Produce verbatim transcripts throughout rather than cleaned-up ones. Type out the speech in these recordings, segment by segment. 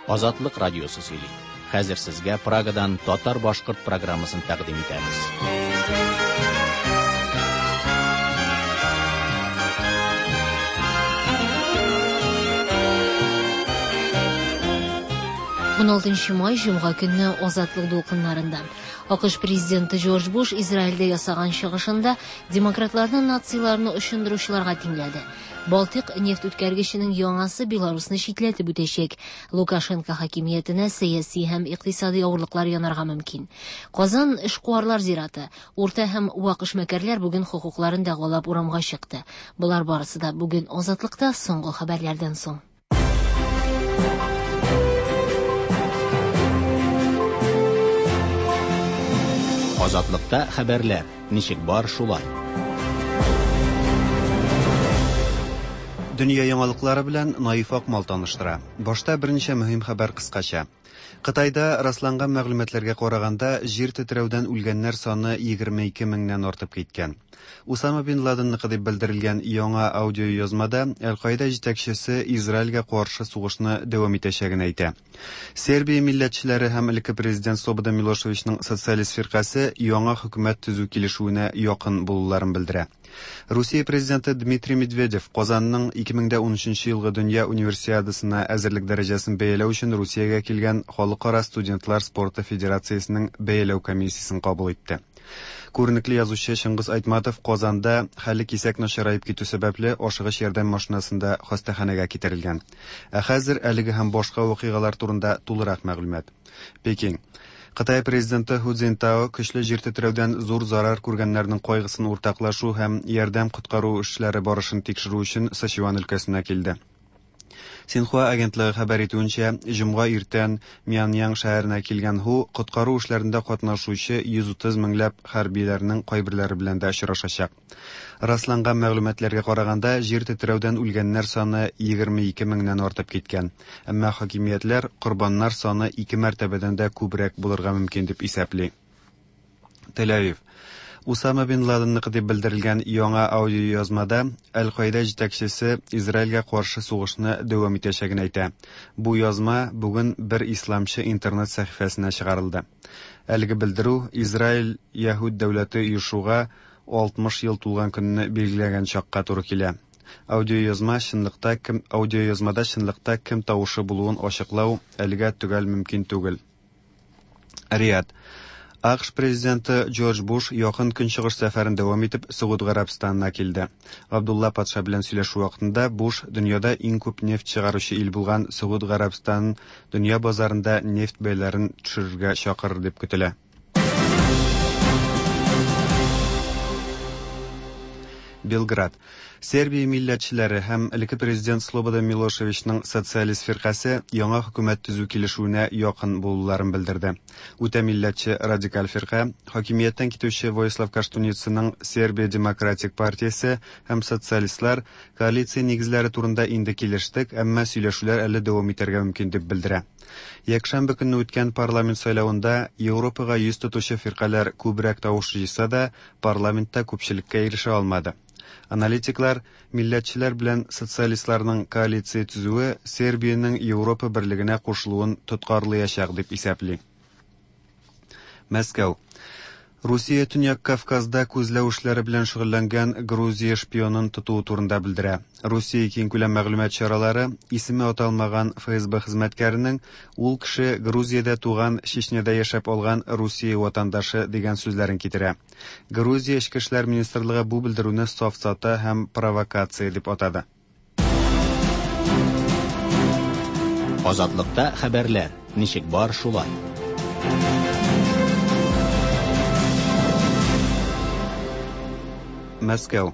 Азатлык радиосы сөйли. Хәзер сезгә Прагадан татар-башкорт программасын тәкъдим итәбез. ун алтынчы май җомга көнне Азатлык дулкыннарында. АКШ президенты Джордж Буш Израильдә ясаган чыгышында демократларны нациларны очындыручыларга тиңләде. Балтыйк нефть үткәргеченең яңасы Беларусны читләтеп үтәчәк. Лукашенко хакимиятенә сәяси һәм икътисади авырлыклар янарга мөмкин. Казан эшкуарлар зираты. Урта һәм вак эшмәкәрләр бүген хокукларын дәгъвалап урамга чыкты. Болар барысы да бүген Азатлыкта соңгы хәбәрләрдән соң. Азатлыкта хәбәрләр ничек бар шулай. Дөнья яңалыклары белән Наиф Акмал таныштыра. Башта берничә мөһим хәбәр кыскача. Кытайда расланган мәгълүматларга караганда, җир тетрәүдән үлгәннәр саны егерме ике меңнән артып киткән. Усама бин Ладенныкы дип белдерелгән яңа аудиоязмада Әл-Каида җитәкчесе Израильгә каршы сугышны дәвам итәчәген әйтә. Сербия милләтчеләре һәм элекке президент Слободан Милошевичның социалист фиркасе яңа хөкүмәт төзү килешүенә якын булуларын белдерә. Русия президенты Дмитрий Медведев Казанның ике мең дә унөченче елгы дөнья универсиадасына әзерлек дәрәҗәсен бәяләү өчен Русиягә килгән Халыкара студентлар спорты федерациясенең бәяләү комиссиясен кабул итте. Күренекле язучы Чыңгыз Айтматов Казанда хәле кисәк начараеп китү сәбәпле ашыгыч ярдәм машинасында хастаханәгә китерелгән. Ә хәзер әлеге һәм башка вакыйгалар турында тулырак мәгълүмат. Пекин. Кытай президенты Ху Цзиньтао көчле җир тетрәүдән зур зарар күргәннәрнең кайгысын уртаклашу һәм ярдәм коткару эшләре барышын тикшерү өчен Сычуан өлкәсенә килде. Синхуа агентлыгы хәбәр итүенчә, җомга иртән Мяньян шәһәренә килгән Ху коткару эшләрендә катнашучы йөз утыз меңләп хәрбиләрнең кайберләре белән дә очрашачак. Расланган мәгълүматларга караганда, җир тетрәүдән үлгәннәр саны егерме ике меңнән артып киткән. Әмма хакимиятләр корбаннар саны ике мәртәбәдән дә күбрәк булырга мөмкин дип исәпли. Тель-Авив. Усама бин Ладенныкы дип белдерелгән яңа аудиоязмада Әл-Каида җитәкчесе Израильгә каршы сугышны дәвам итәчәген әйтә. Бу язма бүген бер исламчы интернет сәхифәсенә чыгарылды. Әлеге белдерү Израиль Яһүд дәүләте оешуга алтмыш ел тулган көнне билгеләгән чакка туры килә. Аудиоязма чынлыкта кем, аудиоязмада чынлыкта кем тавышы булуын ачыклау әлегә төгәл мөмкин түгел. Риад. АКШ президенты Джордж Буш якын көнчыгыш сәфәрен дәвам итеп Согуд Гарәбстанына килде. Абдулла патша белән сөйләшү вакытында Буш дөньяда иң күп нефть чыгаручы ил булган Согуд Гарәбстанын дөнья базарында нефть бәяләрен төшерергә чакырыр дип көтелә. Белград. Сербия милләтчеләре һәм элекке президент Слободан Милошевичның социалист фиркасе яңа хөкүмәт төзү килешүенә якын булуларын белдерде. Үтә милләтче радикаль фирка, хакимияттән китүче Воислав Каштуницаның Сербия демократик партиясе һәм социалистлар коалиция нигезләре турында инде килештек, әмма сөйләшүләр әле дәвам итәргә мөмкин дип белдерә. Якшәмбе көнне үткән парламент сайлавында Европага йөз тотучы фиркаләр күбрәк тавыш җыйса да, парламентта күпчелеккә ирешә алмады. Аналитиклар милләтчеләр белән социалистларның коалиция төзүе Сербиянең Европа берлегенә кушылуын тоткарлаячак дип исәпли. Мәскәү. Русия Төньяк Кавказда күзләү эшләре белән шөгыльләнгән Грузия шпионын тотуы турында белдерә. Русия киңкүләм мәгълүмат чаралары исеме аталмаган Эф Эс Бэ хезмәткәренең ул кеше Грузиядә туган, Чечняда яшәп алган Русия ватандашы дигән сүзләрен китерә. Грузия Эчке эшләр министрлыгы бу белдерүне сафсата һәм провокация дип атады. Азатлыкта хәбәрләр ничек бар шулай. Мәскәү.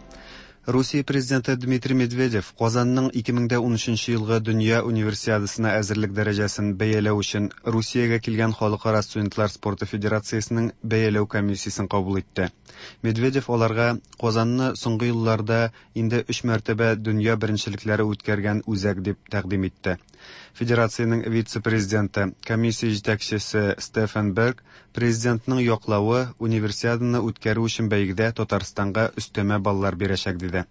Русия президенты Дмитрий Медведев Казанның ике мең дә унөченче елгы дөнья универсиадасына әзерлек дәрәҗәсен бәяләү өчен Русиягә килгән Халыкара студентлар спорты федерациясенең бәяләү комиссиясен кабул итте. Медведев аларга Казанны соңгы елларда инде өч мәртәбә дөнья беренчелекләре үткәргән үзәк дип тәкъдим итте. Федерациянең вице-президенты, комиссия җитәкчесе Стефан Берг президентның яклавы универсиаданы үткәрү өчен бәйгедә Татарстанга өстәмә баллар бирәчәк диде.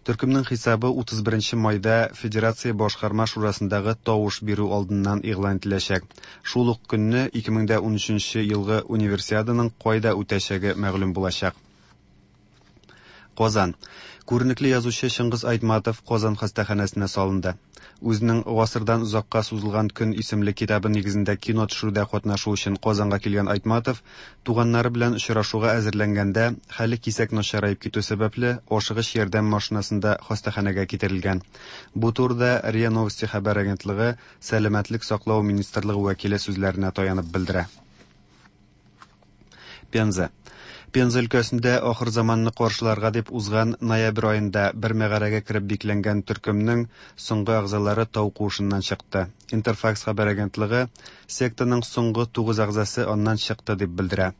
Төркемнең хисабы утыз беренче майда Федерация башкарма шурасындагы тавыш бирү алдыннан игълан ителәчәк. Шул ук көнне ике мең дә унөченче елгы универсиаданың кайда үтәчәге мәгълүм булачак. Казан. Күренекле язучы Чыңгыз Айтматов Казан хастаханәсенә салынды. Үзенең Гасырдан озакка сузылган көн исемле китабы нигезендә кино төшерүдә катнашу өчен Казанга килгән Айтматов туганнары белән очрашуга әзерләнгәндә хәле кисәк начараеп китү сәбәпле ашыгыч ярдәм машинасында хастаханәгә китерелгән. Бу турыда РИА Новости хәбәр агентлыгы Сәламәтлек саклау министрлыгы вәкиле сүзләренә таянып белдерә. Пенза. Пенза өлкәсендә ахыр заманны каршыларга дип узган ноябрь аенда бер мәгарәгә кереп бикләнгән төркемнең соңгы әгъзалары тау куышыннан чыкты. Интерфакс хәбәр агентлыгы сектаның соңгы тугыз әгъзасы аннан чыкты дип белдерә.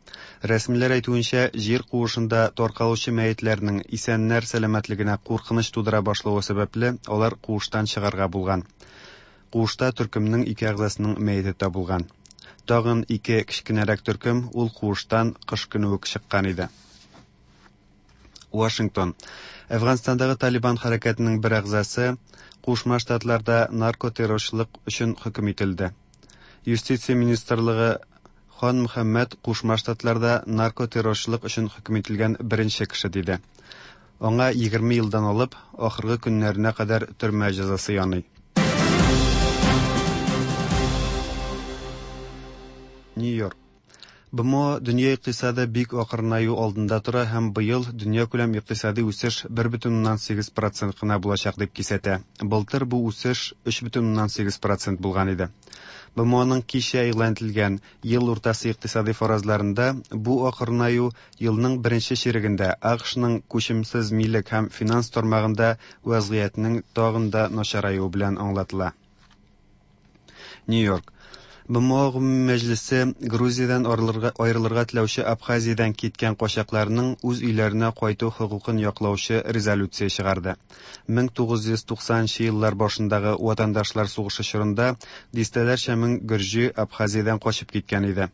Рәсмиләр әйтүенчә, җир куышында таркалучы мәетләрнең исәннәр сәламәтлегенә куркыныч тудыра башлавы сәбәпле, алар куыштан чыгарга булган. Куышта төркемнең ике әгъзасының мәете табылган. Тагын ике кечкенәрәк төркем ул куыштан кыш көне үк чыккан иде. Вашингтон. Әфганстандагы Талибан хәрәкәтенең бер әгъзасы Кушма Штатларда наркотеррорчылык өчен хөкем ителде. Юстиция министрлыгы Хан Мөхәммәд Кушма Штатларда наркотеррорчылык өчен хөкем ителгән беренче кеше диде. Аңа егерме елдан алып ахыргы көннәренә кадәр төрмә җәзасы яный. Нью-Йорк. БМО дөнья икътисады бик акрынаю алдында тора һәм быел дөньякүләм икътисади үсеш бер бөтен уннан сигез процент кына булачак дип кисәтә. Былтыр бу үсеш өч бөтен уннан сигез процент булган иде. БМОның кичә игълан ителгән ел уртасы икътисади фаразларында бу акрынаю елның беренче чирегендә АКШның күчемсез милек һәм финанс тармагында вазгыятьнең тагын да начараюы белән аңлатыла. Нью-Йорк. БМО гомуми мәҗлесе Грузиядән аерылырга теләүче Абхазиядән киткән качакларның үз өйләренә кайту хокукын яклаучы резолюция чыгарды. мең тугыз йөз туксанынчы еллар башындагы ватандашлар сугышы чорында дистәләрчә мең гөрҗи Абхазиядән качып киткән иде.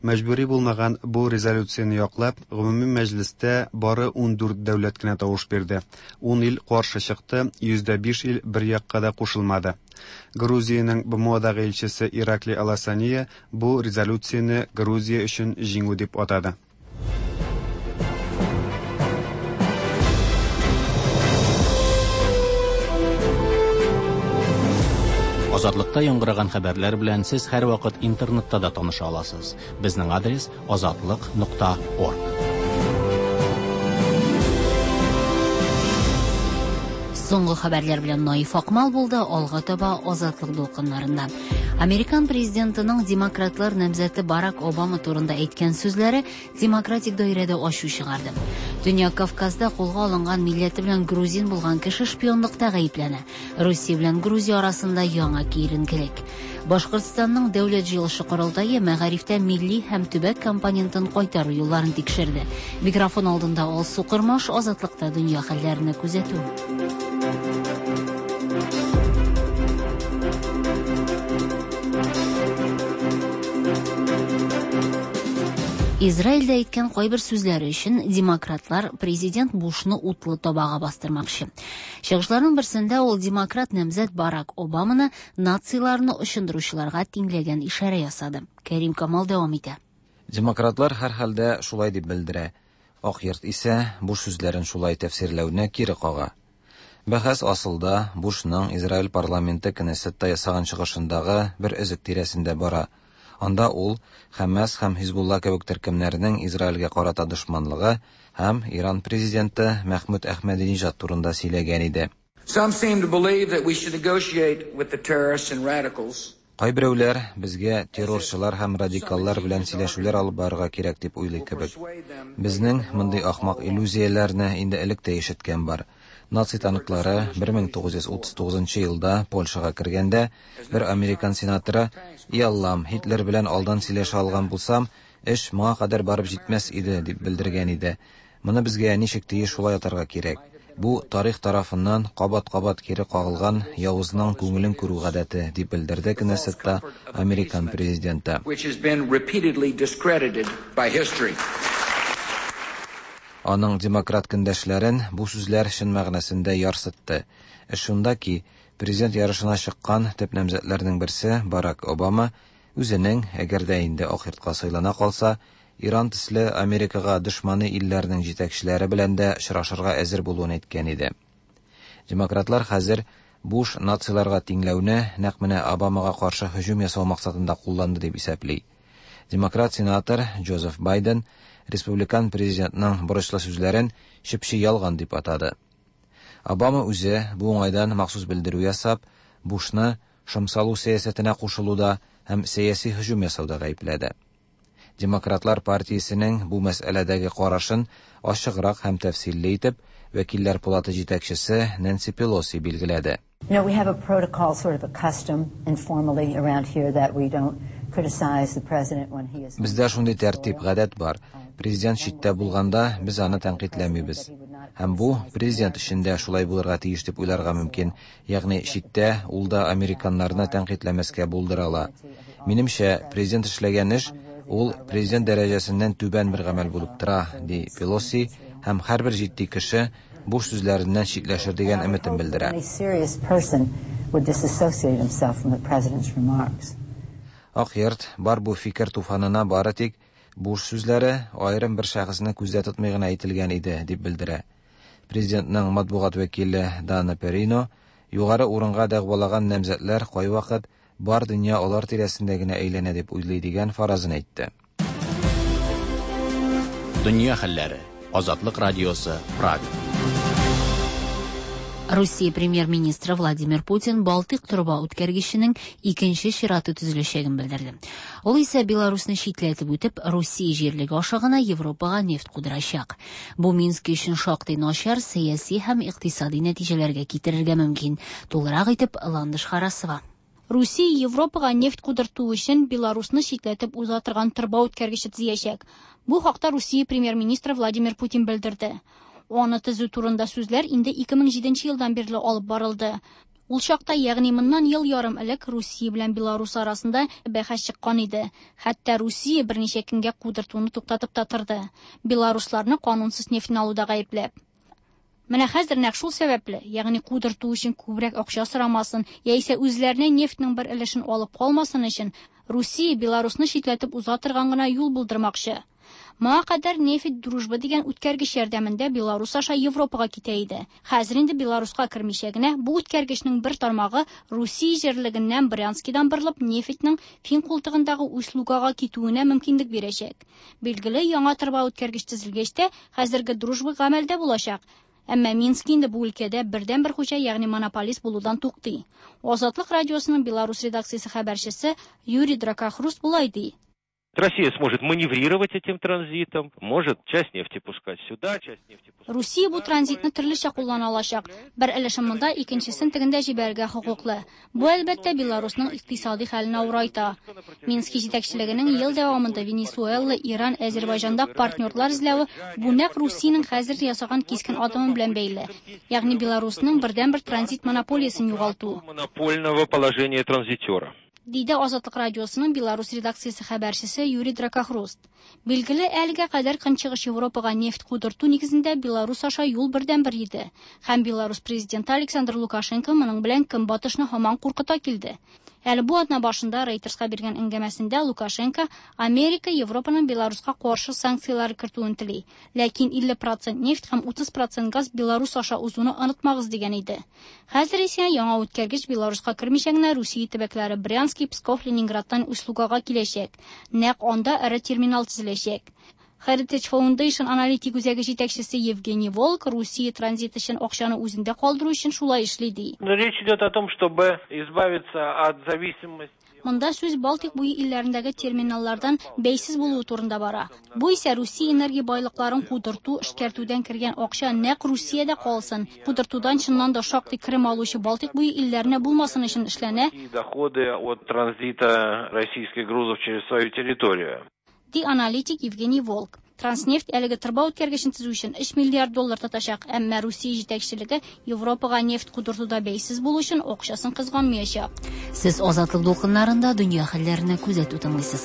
Мәҗбүри булмаган бу резолюцияне яклап, гомуми мәҗлестә бары ун дүрт дәүләт кенә тавыш бирде. Ун ил каршы чыкты, йөздә биш ил бер якка да кушылмады. Грузиянең БМОдагы илчесе Иракли Аласания бу резолюцияне Грузия өчен җиңү дип атады. Азатлыкта яңгыраган хәбәрләр белән сез һәрвакыт интернетта да таныша аласыз. Безнең адрес азатлык нокта орг. Соңгы хәбәрләр белән Наиф Акмал булды, алга таба Азатлык дулкыннарында. Американ президентының демократлар намзәте Барак Обама турында әйткән сүзләре демократик даирәдә ачу чыгарды. Дөнья Кавказда кулга алынган милләте белән грузин булган кеше шпионлыкта гаепләнә. Русия белән Грузия арасында яңа киеренкелек. Башкортстанның дәүләт җыелышы корылтае мәгарифтә милли һәм төбәк компонентын кайтару юлларын тикшерде. Микрофон алдында Алсу Кырмаш, Азатлыкта дөнья хәлләренә күзәтү. Израильдә әйткән кайбер сүзләре өчен демократлар президент Бушны утлы табага бастырмакчы. Чыгышларның берсендә ул демократ намзәт Барак Обаманы нациларны очындыручыларга тиңләгән ишарә ясады. Кәрим Камал дәвам итә. Демократлар һәр хәлдә шулай дип белдерә. Ак йорт исә Буш сүзләрен шулай тәфсирләүне кире кага. Бәхәс асылда Бушның Израиль парламенты Кнессетта ясаган чыгышындагы бер өзек тирәсендә бара. Анда ул Хәмәс һәм Хизбулла кебек төркемнәрнең Израильгә карата дошманлыгы һәм Иран президенты Мәхмүд Әхмәдинежад турында сөйләгән иде. Some seem to believe that we should negotiate with the terrorists and radicals. Кайберәүләр безгә террорчылар һәм радикаллар белән сөйләшүләр алып барырга кирәк дип уйлый кебек. Безнең мондый ахмак иллюзияләрне инде элек тә ишеткән бар. Наци танклары бер мең тугыз йөз утыз тугызынчы елда Польшага кергәндә бер американ сенаторы «И Аллам, Һитлер белән алдан сөйләшә алган булсам, эш моңа кадәр барып җитмәс иде» дип белдергән иде. Моны безгә ничек тиеш шулай атарга кирәк. Бу тарих тарафыннан кабат-кабат кире кагылган явызның күңелен күрү гадәте, дип белдерде Кнессетта американ президенты. Which has been repeatedly discredited by history. Аның демократ көндәшләрен бу сүзләр чын мәгънәсендә ярсытты. Эш шунда ки, президент ярышына чыккан төп намзәтләрнең берсе Барак Обама үзенең, әгәр дә инде Ак Йортка сайлана калса, Иран төсле Америкага дошманы илләрнең җитәкчеләре белән дә очрашырга әзер булуын әйткән иде. Демократлар хәзер Буш нациларга тиңләүне нәкъ менә Обамага каршы һөҗүм ясау максатында кулланды дип исәпли. Демократ сенатор Джозеф Байден республикан президентның бурычлы сүзләрен чеп-чи ялган дип атады. Обама үзе бу уңайдан махсус белдерү ясап, Бушны шом салу сәясәтенә кушылуда һәм сәяси һөҗүм ясауда гаепләде. Демократлар партиясенең бу мәсьәләдәге карашын ачыграк һәм тәфсилле итеп Вәкилләр палаты җитәкчесе Нэнси Пелоси билгеләде. You know, we have a protocol, sort of a custom informally around here that we don't criticize the president when he is. Бездә шундый тәртип, гадәт бар. Президент читтә булганда без аны тәнкыйтьләмибез. Һәм бу президент өчен дә шулай булырга тиеш дип уйларга мөмкин. Ягъни читтә ул да американнарны тәнкыйтьләмәскә булдыра ала. Минемчә, президент эшләгән эш ул президент дәрәҗәсеннән түбән бер гамәл булып тора, ди Пелоси, һәм һәрбер җитди кеше Буш сүзләреннән читләшер дигән өметен белдерә. Any serious person would disassociate himself from the president's remarks. Ак Йорт бар бу фикер туфанына бары тик Буш сүзләре аерым бер шәхесне күздә тотмый гына әйтелгән иде, дип белдерә. Президентның матбугат вәкиле Дана Перино югары урынга дәгъвалаган намзәтләр кайвакыт бар дөнья алар тирәсендә генә әйләнә дип уйлый дигән фаразын әйтте. Дөнья хәлләре. Азатлык радиосы, Прага. Русия премьер-министры Владимир Путин Балтыйк торба үткәргеченең икенче чираты төзеләчәген белдерде. Ул исә Беларусны читләтеп үтеп, Русия җирлеге аша гына Европага нефть кудырачак. Бу Минск өчен шактый начар сәяси һәм икътисади нәтиҗәләргә китерергә мөмкин. Тулырак итеп Ландыш Харасова. Русия Европага нефть кудырту өчен Беларусны читләтеп уза торган торба үткәргече төзиячәк. Бу хакта Русия премьер-министры Владимир Путин белдерде. Аны төзү турында сүзләр инде ике мең җиденче елдан бирле алып барылды. Ул чакта, ягъни моннан ел ярым элек Русия белән Беларус арасында бәхәс чыккан иде. Хәтта Русия берничә көнгә кудыртуны туктатып та торды. Беларусларны канунсыз нефтьне алуда гаепләп. Менә хәзер нәкъ шул сәбәпле, ягъни кудырту өчен күбрәк акча сорамасын, яисә үзләренә нефтьнең бер өлешен алып калмасын өчен Русия Беларусны читләтеп уза торган гына юл булдырмакчы. Моңа кадәр нефть Дружба дигән үткәргеч ярдәмендә Беларус аша Европага китә иде. Хәзер инде Беларуска кермичә генә бу үткәргечнең бер тармагы Русия җирлегеннән Брянскидан борылып нефтьнең Фин култыгындагы Усть-Лугага китүенә мөмкинлек бирәчәк. Билгеле, яңа торба үткәргеч төзелгәч тә хәзерге Дружба гамәлдә булачак. Әмма Минск инде бу өлкәдә бердән бер хуҗа, ягъни монополист булудан туктый. Азатлык радиосының Беларус редакциясе хәбәрчесе Юрий Дракохруст болай ди. Россия сможет маневрировать этим транзитом, может часть нефти пускать сюда, часть нефти пускать Русия бу транзитны төрлечә куллана алачак. Бер өлешен монда, икенчесен тегендә җибәрергә хокуклы. Бу әлбәттә Беларусның икътисади хәлен авырайта. Минск җитәкчелегенең ел дәвамында Венесуэла, Иран, Азербайҗанда партнерлар эзләве бу нәкъ Русиянең хәзер ясаган кискен адымы белән бәйле. Ягъни Беларусның бердәнбер транзит монополиясен югалту. Монопольного положения транзитера. Диде Азатлык радиосының Беларус редакциясе хәбәрчесе Юрий Дракохруст. Билгеле, әлегә кадәр Көнчыгыш Европага нефть кудырту нигезендә Беларус аша юл бердәнбер иде. Һәм Беларус президенты Александр Лукашенко моның белән Көнбатышны һаман куркыта килде. Әле бу атна башында Рейтерска биргән әңгәмәсендә Лукашенко Америка Европаның Беларуска каршы санкцияләр кертүен тели. Ләкин илле процент нефть һәм утыз процент газ Беларус аша узуны онытмагыз дигән иде. Хәзер исә яңа үткәргеч Беларуска кермичә генә Русия төбәкләре Брянск, Псков, Ленинградтан Усть-Лугага киләчәк. Нәкъ анда эре терминал төзеләчәк. Heritage Foundation аналитик үзәге җитәкчесе Евгений Волк Русия транзит өчен акчаны үзендә калдыру өчен шулай эшли ди. Но речь идет о том, чтобы избавиться от зависимости. Монда сүз Балтик буе илләрендәге терминаллардан бәйсез булуы турында бара. Бу исә Русия энергия байлыкларын кудырту, эшкәртүдән кергән акча нәкъ Русиядә калсын. Кудыртудан чыннан да шактый керем алучы Балтик буе илләренә булмасын өчен эшләнә. Доходы от транзита российских грузов через свою территорию. Ди аналитик Евгений Волк. Транснефть әлеге торба үткәргечен төзү өчен өч миллиард доллар тотачак, әмма Русия җитәкчелеге Европага нефть кудыртуда бәйсез булу өчен акчасын кызганмаячак. Сез Азатлык дулкыннарында дөнья хәлләренә күзәтү тыңлыйсыз.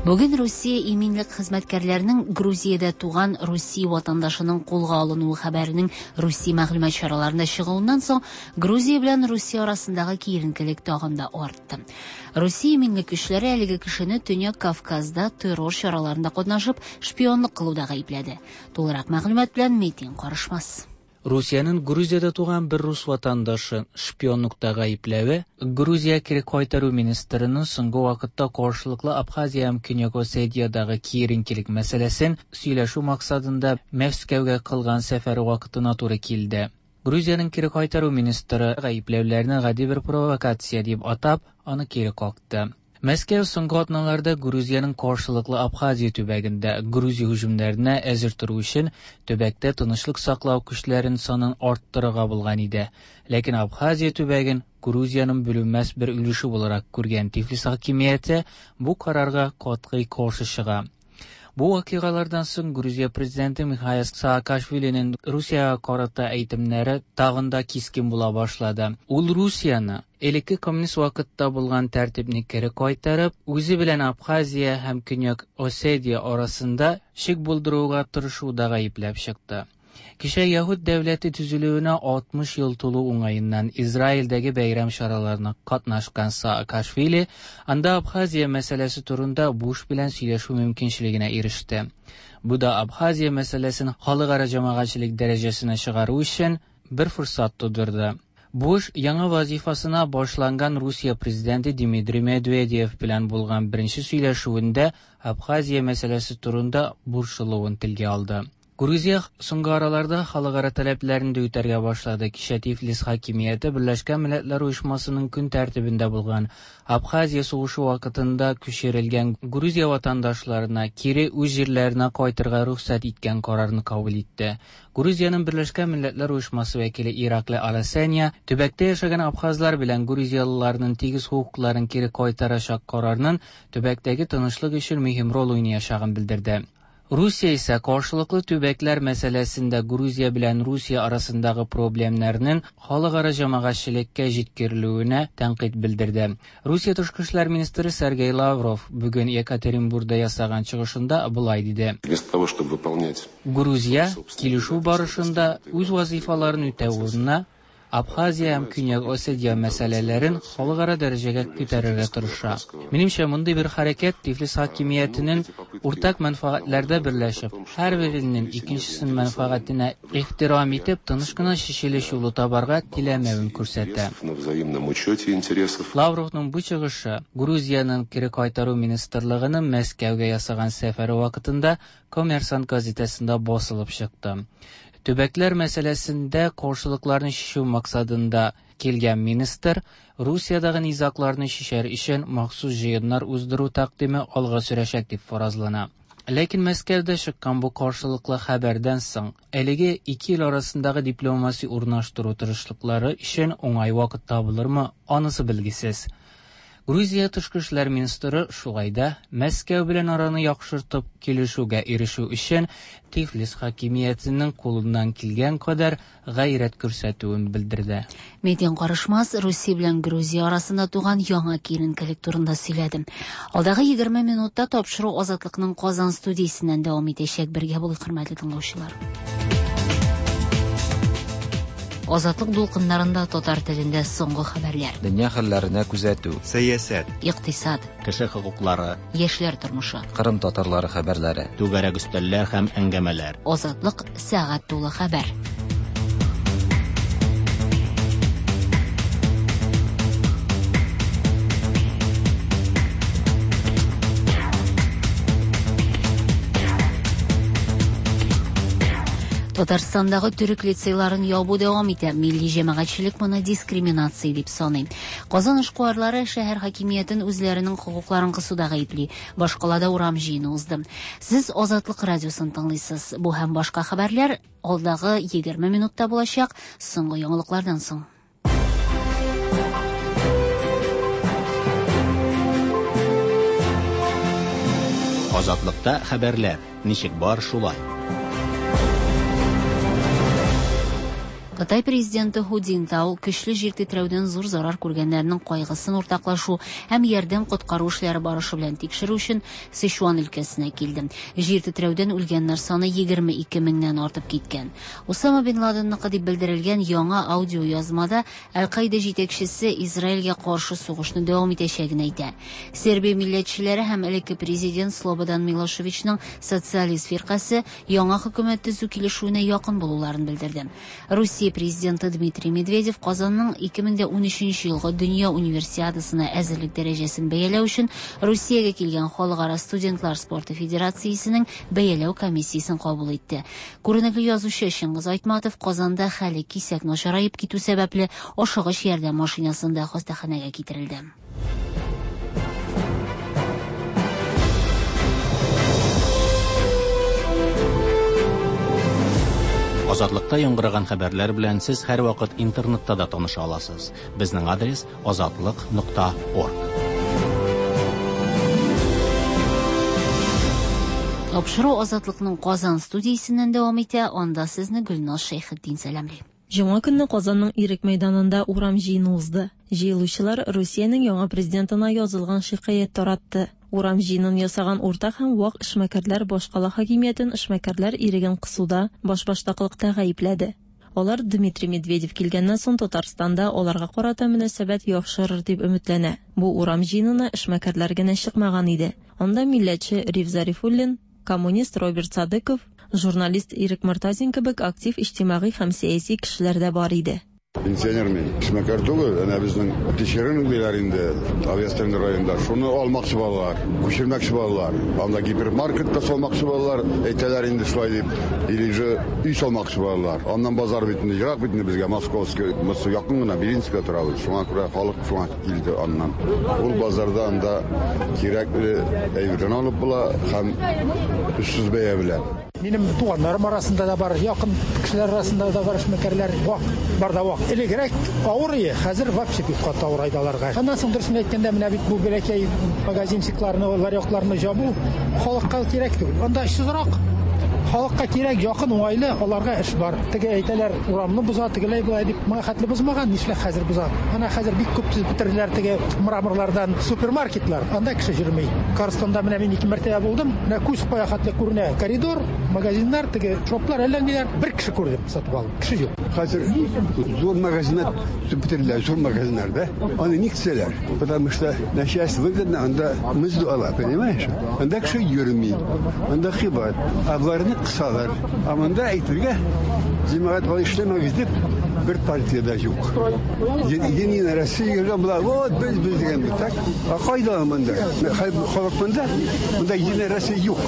Бүген Русия иминлек хезмәткәрләренең Грузиядә туган Русия ватандашының кулга алынуы хәбәренең Русия мәгълүмат чараларында чыгуыннан соң Грузия белән Русия арасындагы киеренкелек тагын да артты. Русия иминлек көчләре әлеге кешене Төньяк Кавказда террор чараларында катнашып шпионлык кылуда гаепләде. Тулырак мәгълүмат белән Метин Карышмас. Русиянең Грузиядә туган бер рус ватандашы шпионлыкта гаепләве Грузия кире кайтару министрының соңгы вакытта каршылыклы Абхазия һәм Көньяк Осетиядагы киеренкелек мәсьәләсен сөйләшү максатында Мәскәүгә кылган сәфәре вакытына туры килде. Грузиянең кире кайтару министры гаепләүләрне гади бер провокация дип атап, аны кире какты. Мәскәү соңгы атналарда Грузиянең каршылыклы Абхазия төбәгендә Грузия һөҗүмнәренә әзер тору өчен төбәктә тынычлык саклау көчләрен санын арттырырга булган иде. Ләкин Абхазия төбәген Грузиянең бүленмәс бер өлеше буларак күргән Тифлис хакимияте бу карарга катгый каршы чыга. Бу вакыйгалардан соң Грузия президенты Михаил Саакашвилинең Русиягә карата әйтемнәре тагын да кискен була башлады. Ул Русияне элекке коммунист вакытта булган тәртипне кире кайтарып, үзе белән Абхазия һәм Көньяк Осетия арасында шик булдыруга тырышуда гаепләп чыкты. Кичә Яһүд дәүләте төзелүенә алтмыш ел тулу уңаеннан Израильдәге бәйрәм чараларына катнашкан Саакашвили анда Абхазия мәсьәләсе турында Буш белән сөйләшү мөмкинчелегенә иреште. Бу да Абхазия мәсьәләсен халыкара җәмәгатьчелек дәрәҗәсенә чыгару өчен бер форсат тудырды. Буш яңа вазифасына башланган Русия президенты Дмитрий Медведев белән булган беренче сөйләшүендә Абхазия мәсьәләсе турында борчылуын телгә алды. Грузия соңгы араларда халыкара таләпләрен дә үтәргә башлады. Кичә Тифлис хакимияте Берләшкән Милләтләр Оешмасының көн тәртибендә булган Абхазия сугышы вакытында күчерелгән Грузия ватандашларына кире үз җирләренә кайтырга рөхсәт иткән карарны кабул итте. Грузиянең Берләшкән Милләтләр Оешмасы вәкиле Ираклий Аласания төбәктә яшәгән абхазлар белән грузиялыларның тигез хокукларын кире кайтарачак карарның төбәктәге тынычлык өчен мөһим роль уйнаячагын белдерде. Русия исә каршылыклы төбәкләр мәсьәләсендә Грузия белән Русия арасындагы проблемнарның халыкара җәмәгатьчелеккә җиткерелүенә тәнкыйть белдерде. Русия тышкы эшләр министры Сергей Лавров бүген Екатеринбургда ясаган чыгышында болай диде. Вместо того, чтобы выполнять Грузия килешү барышында үз вазифаларын үтәү урынына Абхазия һәм Көньяк Осетия мәсьәләләрен халыкара дәрәҗәгә күтәрергә тырыша. Минемчә, мондый бер хәрәкәт Тифлис хакимиятенең уртак мәнфәгатьләрдә берләшеп, һәрбер илнең икенчесенең мәнфәгатенә ихтирам итеп, тыныч кына чишелеш юлы табарга теләмәвен күрсәтә. Лавровның бу чыгышы Грузиянең кире кайтару министрлыгының Мәскәүгә ясаган сәфәре вакытында Коммерсант газетасында басылып чыкты. Төбәкләр мәсьәләсендә каршылыкларны чишү максатында килгән министр Русиядәге низагларны чишәр өчен махсус җыеннар уздыру тәкъдиме алга сөрәчәк дип фаразлана. Ләкин Мәскәүдә чыккан бу каршылыклы хәбәрдән соң әлеге ике ил арасындагы дипломация урнаштыру тырышлыклары өчен уңай вакыт табылырмы, анысы билгесез. Грузия тышкы эшләр министры шулай да Мәскәү белән араны яхшыртып килешүгә ирешү өчен Тифлис хакимиятенең кулыннан килгән кадәр гайрәт күрсәтүен белдерде. Метин Карышмас Русия белән Грузия арасында туган яңа киеренкелек турында сөйләде. Алдагы егерме минутта тапшыру Азатлыкның Казан студиясеннән дәвам итәчәк. Бергә булыйк, хөрмәтле тыңлаучылар. Азатлык дулкыннарында татар телендә соңгы хәбәрләр. Дөнья хәлләренә күзәтү, сәясәт, икътисад, кеше хокуклары, яшьләр тормышы, Кырым татарлары хәбәрләре, түгәрәк өстәлләр һәм әңгәмәләр. Азатлык сәгать тулы хәбәр. Татарстандагы төрек лицейларын ябу дәвам итә. Милли җәмәгатьчелек моны дискриминация дип саный. Казан эшкуарлары шәһәр хакимиятен үзләренең хокукларын кысуда гаепли. Башкалада урам җыены узды. Сез Азатлык радиосын тыңлыйсыз. Бу һәм башка хәбәрләр алдагы егерме минутта булачак. Соңгы яңалыклардан соң. Азатлыкта хәбәрләр ничек бар шулай. Кытай президенты Ху Цзиньтао көчле җир тетрәүдән зур зарар күргәннәрнең кайгысын уртаклашу һәм ярдәм коткару эшләре барышы белән тикшерү өчен Сычуан өлкәсенә килде. Җир тетрәүдән үлгәннәр саны егерме ике меңнән артып киткән. Усама бин Ладенныкы дип белдерелгән яңа аудиоязмада Әл-Каида җитәкчесе Израильгә каршы сугышны дәвам итәчәген әйтә. Сербия милләтчеләре һәм элекке президент Слободан Милошевичның социалист фиркасе яңа хөкүмәт төзү килешүенә якын булуларын белдерде. Русия президенты Дмитрий Медведев Казанның ике мең дә унөченче елгы Дөнья универсиадасына әзерлек дәрәҗәсен бәяләү өчен Русиягә килгән Халыкара студентлар спорты федерациясенең бәяләү комиссиясен кабул итте. Күренекле язучы Чыңгыз Айтматов Казанда хәле кисәк начараеп китү сәбәпле ашыгыч ярдәм машинасында хастаханәгә китерелде. Азатлыкта яңгыраган хәбәрләр белән сез һәрвакыт интернетта да таныша аласыз. Безнең адрес азатлык нокта орг. Тапшыру Азатлыкның Казан студиясеннән дәвам итә. Анда сезне Гөлназ Шәйхетдин сәламли. Җомга көнне Казанның Ирек мәйданында урам җыены узды. Җыелучылар Русиянең яңа президентына язылган шикаять таратты. Урам җыенын ясаган уртак һәм вак эшмәкәрләр башкала хакимиятен эшмәкәрләр иреген кысуда, башбаштаклыкта гаепләде. Алар Дмитрий Медведев килгәннән соң Татарстанда аларга карата мөнәсәбәт яхшырыр дип өметләнә. Бу урам җыенына эшмәкәрләр генә чыкмаган иде. Анда милләтче Риф Зарифуллин, коммунист Роберт Садыков, журналист Ирек Мортазин кебек актив иҗтимагый һәм сәяси кешеләр дә бар иде. Пенсионер мин. Эшмәкәр түгел, әнә безнең тишерен диләр инде, Авиастрен районында. Шуны алмакчы балалар, күчермәкче балалар. Анда гипермаркетта салмакчы балалар, әйтәләр инде шулай дип, или же өй салмакчы балалар. Аннан базар бит инде, ерак бит инде безгә, Московский, Москва якын гына, Белинская торабыз. Шуңа күрә халык шуңа килде аннан. Ул базарда анда кирәкле әйберләрне алып була һәм өчсез бәя белән. Минем туганнарым арасында да бар, якын кешеләр арасында да бар эшмәкәрләр, вак, бар да вак. Элегрәк авыр ие, хәзер вообще бик каты авыр айдаларга. Аннан соң дөресен әйткәндә, менә бит бу бәләкәй магазинчикларны, ларёкларны җабу халыкка кирәк түгел. Анда эшсезрак. Халыкка кирәк, якын, уңайлы, аларга эш бар. Теге әйтәләр, урамны боза, тегеләй болай дип, моңа хәтле бозмаган, нишләп хәзер боза? Ана хәзер бик күп төзеп бетерделәр теге мраморлардан супермаркетлар. Анда кеше йөрми. Карстонда менә мин ике мәртәбә булдым. Менә күз кая хәтле күренә коридор, магазиннар, теге шоплар, әллә ниләр. Бер кеше күрдем, сатып алдым. Кеше юк. Хәзер зур магазиннар төзеп бетерделәр, зур магазиннар, да? Аны ник төзәләр? Потому что начальство выгодно, анда мызду ала, понимаешь? Анда кеше йөрми. Анда кыйбат. Ә боларны кысалар. Ә монда әйтергә, җәмәгать алай эшләмәгез дип бер партиядә юк. Единая Россия йөргән була, вот без без дигән бит, так? Ә кайда монда? Халык монда? Монда Единая Россия юк.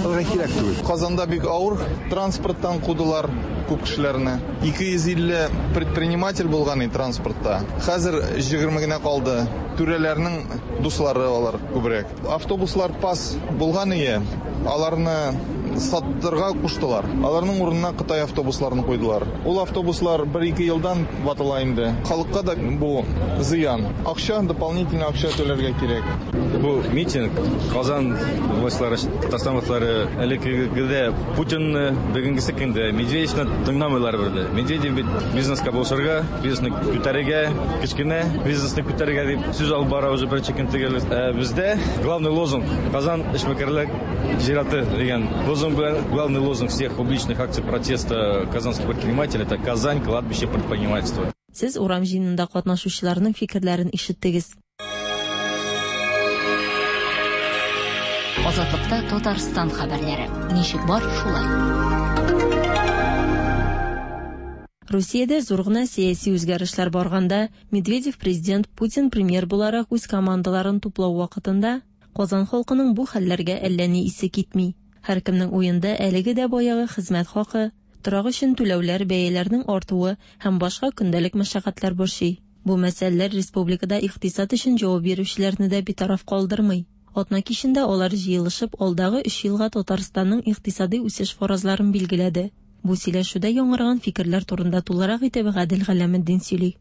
Аларга кирәк түгел. Казанда бик авыр транспорттан кудылар күп кешеләрне. ике йөз илле предприниматель булган иде транспортта. Хәзер егерме генә калды. Түрәләрнең дуслары алар күбрәк. Автобуслар пас булган ие, аларны саттырга куштылар. Аларның урынына Кытай автобусларын куйдылар. Ул автобуслар бер-ике елдан ватыла инде. Халыкка да бу зыян. Акча, дополнительно акча түләргә кирәк. Бу митинг Казан властьлары, Татарстан властьлары элеккегедә Путинны, бүгенгесе көндә Медведевны тыңламыйлар бирде. Медведев бит бизнеска булышырга, бизнесны күтәрергә, кечкенә бизнесны күтәрергә дип сүз алып бара уже беренче көн төгәл. Ә бездә главный лозунг Казан эшмәкәрләр зираты дигән лозунг белән главный лозунг всех публичных акций протеста казанских предпринимателей это Казань кладбище предпринимательства. Сез урам җыенында катнашучыларның фикерләрен ишеттегез. Азатлыкта Татарстан хәбәрләре. Ничек бар, шулай. Русиядә зур гына сәяси үзгәрешләр барганда, Медведев президент, Путин премьер буларак үз командаларын туплау вакытында Казан халкының бу хәлләргә әллә ни исе китми. Һәркемнең уенда әлеге дә баягы хезмәт хакы, торак өчен түләүләр, бәяләрнең артуы һәм башка көндәлек мәшәкатьләр борчый. Бу мәсьәләләр республикада икътисад өчен җавап бирүчеләрне дә битараф калдырмый. Атна кичендә алар җыелышып алдагы өч елга Татарстанның икътисади үсеш фаразларын билгеләде. Бу сөйләшүдә яңарган фикерләр турында тулырак итеп Гадел Галәметдин сөйли.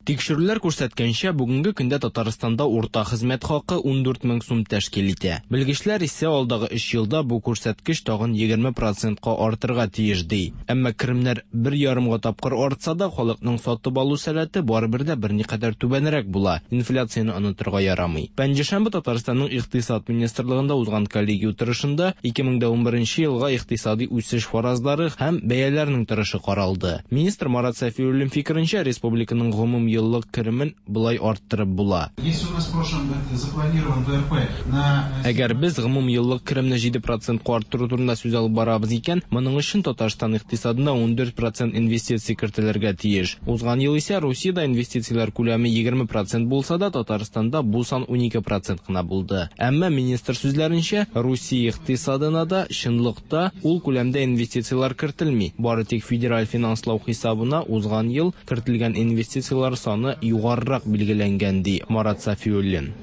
Тикшерүләр күрсәткәнчә, бүгенге көндә Татарстанда урта хезмәт хакы ундүрт мең сум тәшкил итә. Белгечләр исә алдагы өч елда бу күрсәткеч тагын егерме процентка артырга тиеш ди. Әмма керемнәр бер ярымга тапкыр артса да, халыкның сатып алу сәләте барыбер дә берникадәр түбәнрәк була. Инфляцияне онытырга ярамый. Пәнҗешәмбе Татарстанның Икътисад министрлыгында узган коллегия утырышында ике мең дә унберенче елга икътисади үсеш фаразлары һәм бәяләрнең торышы каралды. Министр Марат Сафиуллин фикеренчә, республиканың гомум еллык керемен былай арттырып була. Если у нас в прошлом году запланирован вэ эр пэ на Әгәр без гомум еллык керемне җиде процентка арттыру турында сүз алып барабыз икән, моның өчен Татарстан икътисадына ундүрт процент инвестиция кертелергә тиеш. Узган ел исә Русиядә инвестицияләр күләме егерме процент булса да, Татарстанда бу сан унике процент кына булды. Әмма министр сүзләренчә, Русия икътисадына да чынлыкта ул күләмдә инвестицияләр кертелми. Бары тик федераль финанслау хисабына узган ел кертелгән инвестицияләр саны югарырак билгеләнгән, ди Марат Сафиуллин.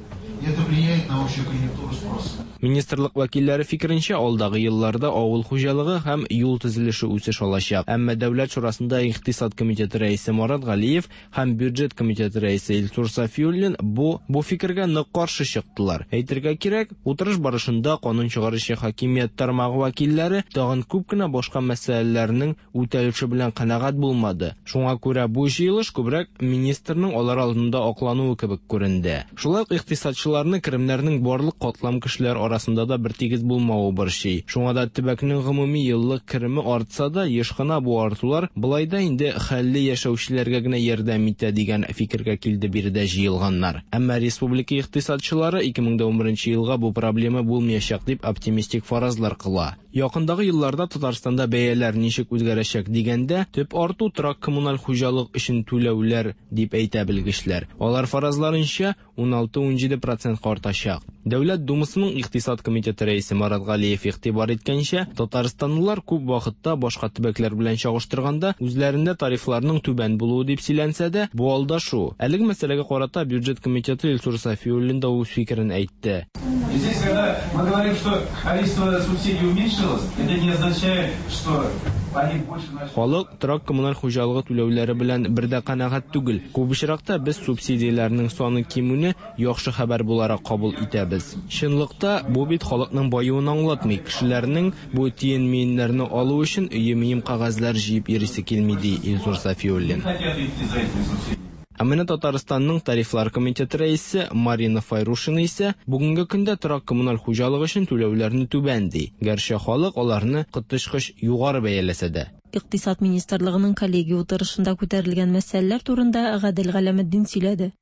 Это влияет на общую конъюнктуру спроса. Министрлык вәкилләре фикеренчә, алдагы елларда авыл хуҗалыгы һәм юл төзелеше үсеш алачак. Әмма Дәүләт шурасында Икътисад комитеты рәисе Марат Галиев һәм бюджет комитеты рәисе Илсур Сафиуллин бу, бу фикергә нык каршы чыктылар. Әйтергә кирәк, утырыш барышында канун чыгаручы хакимият тармагы вәкилләре тагын күп кенә башка мәсьәләләрнең үтәлеше белән канәгать булмады. Шуңа күрә бу җыелыш күбрәк министрның алар алдында аклануы кебек күренде. Шулай ук икътисадчыларны керемнәрнең барлык катлам кешеләр арасында да бер тигез булмавы борчый. Шуңа да төбәкнең гомуми еллык кереме артса да, еш кына бу артулар былай да инде хәлле яшәүчеләргә генә ярдәм итә дигән фикергә килде биредә җыелганнар. Әмма республика икътисадчылары ике мең дә унберенче елга бу проблема булмаячак дип оптимистик фаразлар кыла. Якындагы елларда Татарстанда бәяләр ничек үзгәрәчәк дигәндә, төп арту торак коммуналь хуҗалык өчен түләүләр дип әйтә белгечләр. Алар фаразларынча уналты-унҗиде процентка артачак. Дәүләт Думасының Икътисад комитеты рәисе Марат Галиев игътибар иткәнчә, татарстанлылар күп вакытта башка төбәкләр белән чагыштырганда үзләрендә тарифларның түбән булуы дип сөйләнсә дә, бу алдашу. Әлеге мәсьәләгә карата бюджет комитеты Илсур Сафиуллин да үз фикерен әйтте. И здесь, когда мы говорим, что количество субсидий уменьшилось, это не означает, что они больше начали. Халык торак коммуналь хуҗалыгы түләүләре белән бер дә канәгать түгел. Күп очракта без субсидияләрнең саны кимүне яхшы хәбәр буларак кабул итәбез. Чынлыкта бу бит халыкның баюын аңлатмый. Кешеләрнең бу тиен-миеннәрне алу өчен өе-мием кәгазьләр җыеп йөрисе килми, ди Илсур Сафиуллин. Хотят идти за этими субсидиями. Ә менә Татарстанның тарифлар комитеты рәисе Марина Файрушина исә бүгенге көндә торак коммуналь хуҗалык өчен түләүләрне түбән ди. Гәрчә халык аларны коточкыч югары бәяләсә дә. Икътисад министрлыгының коллегия утырышында күтәрелгән мәсьәләләр турында Гадел Галәметдин сөйләде.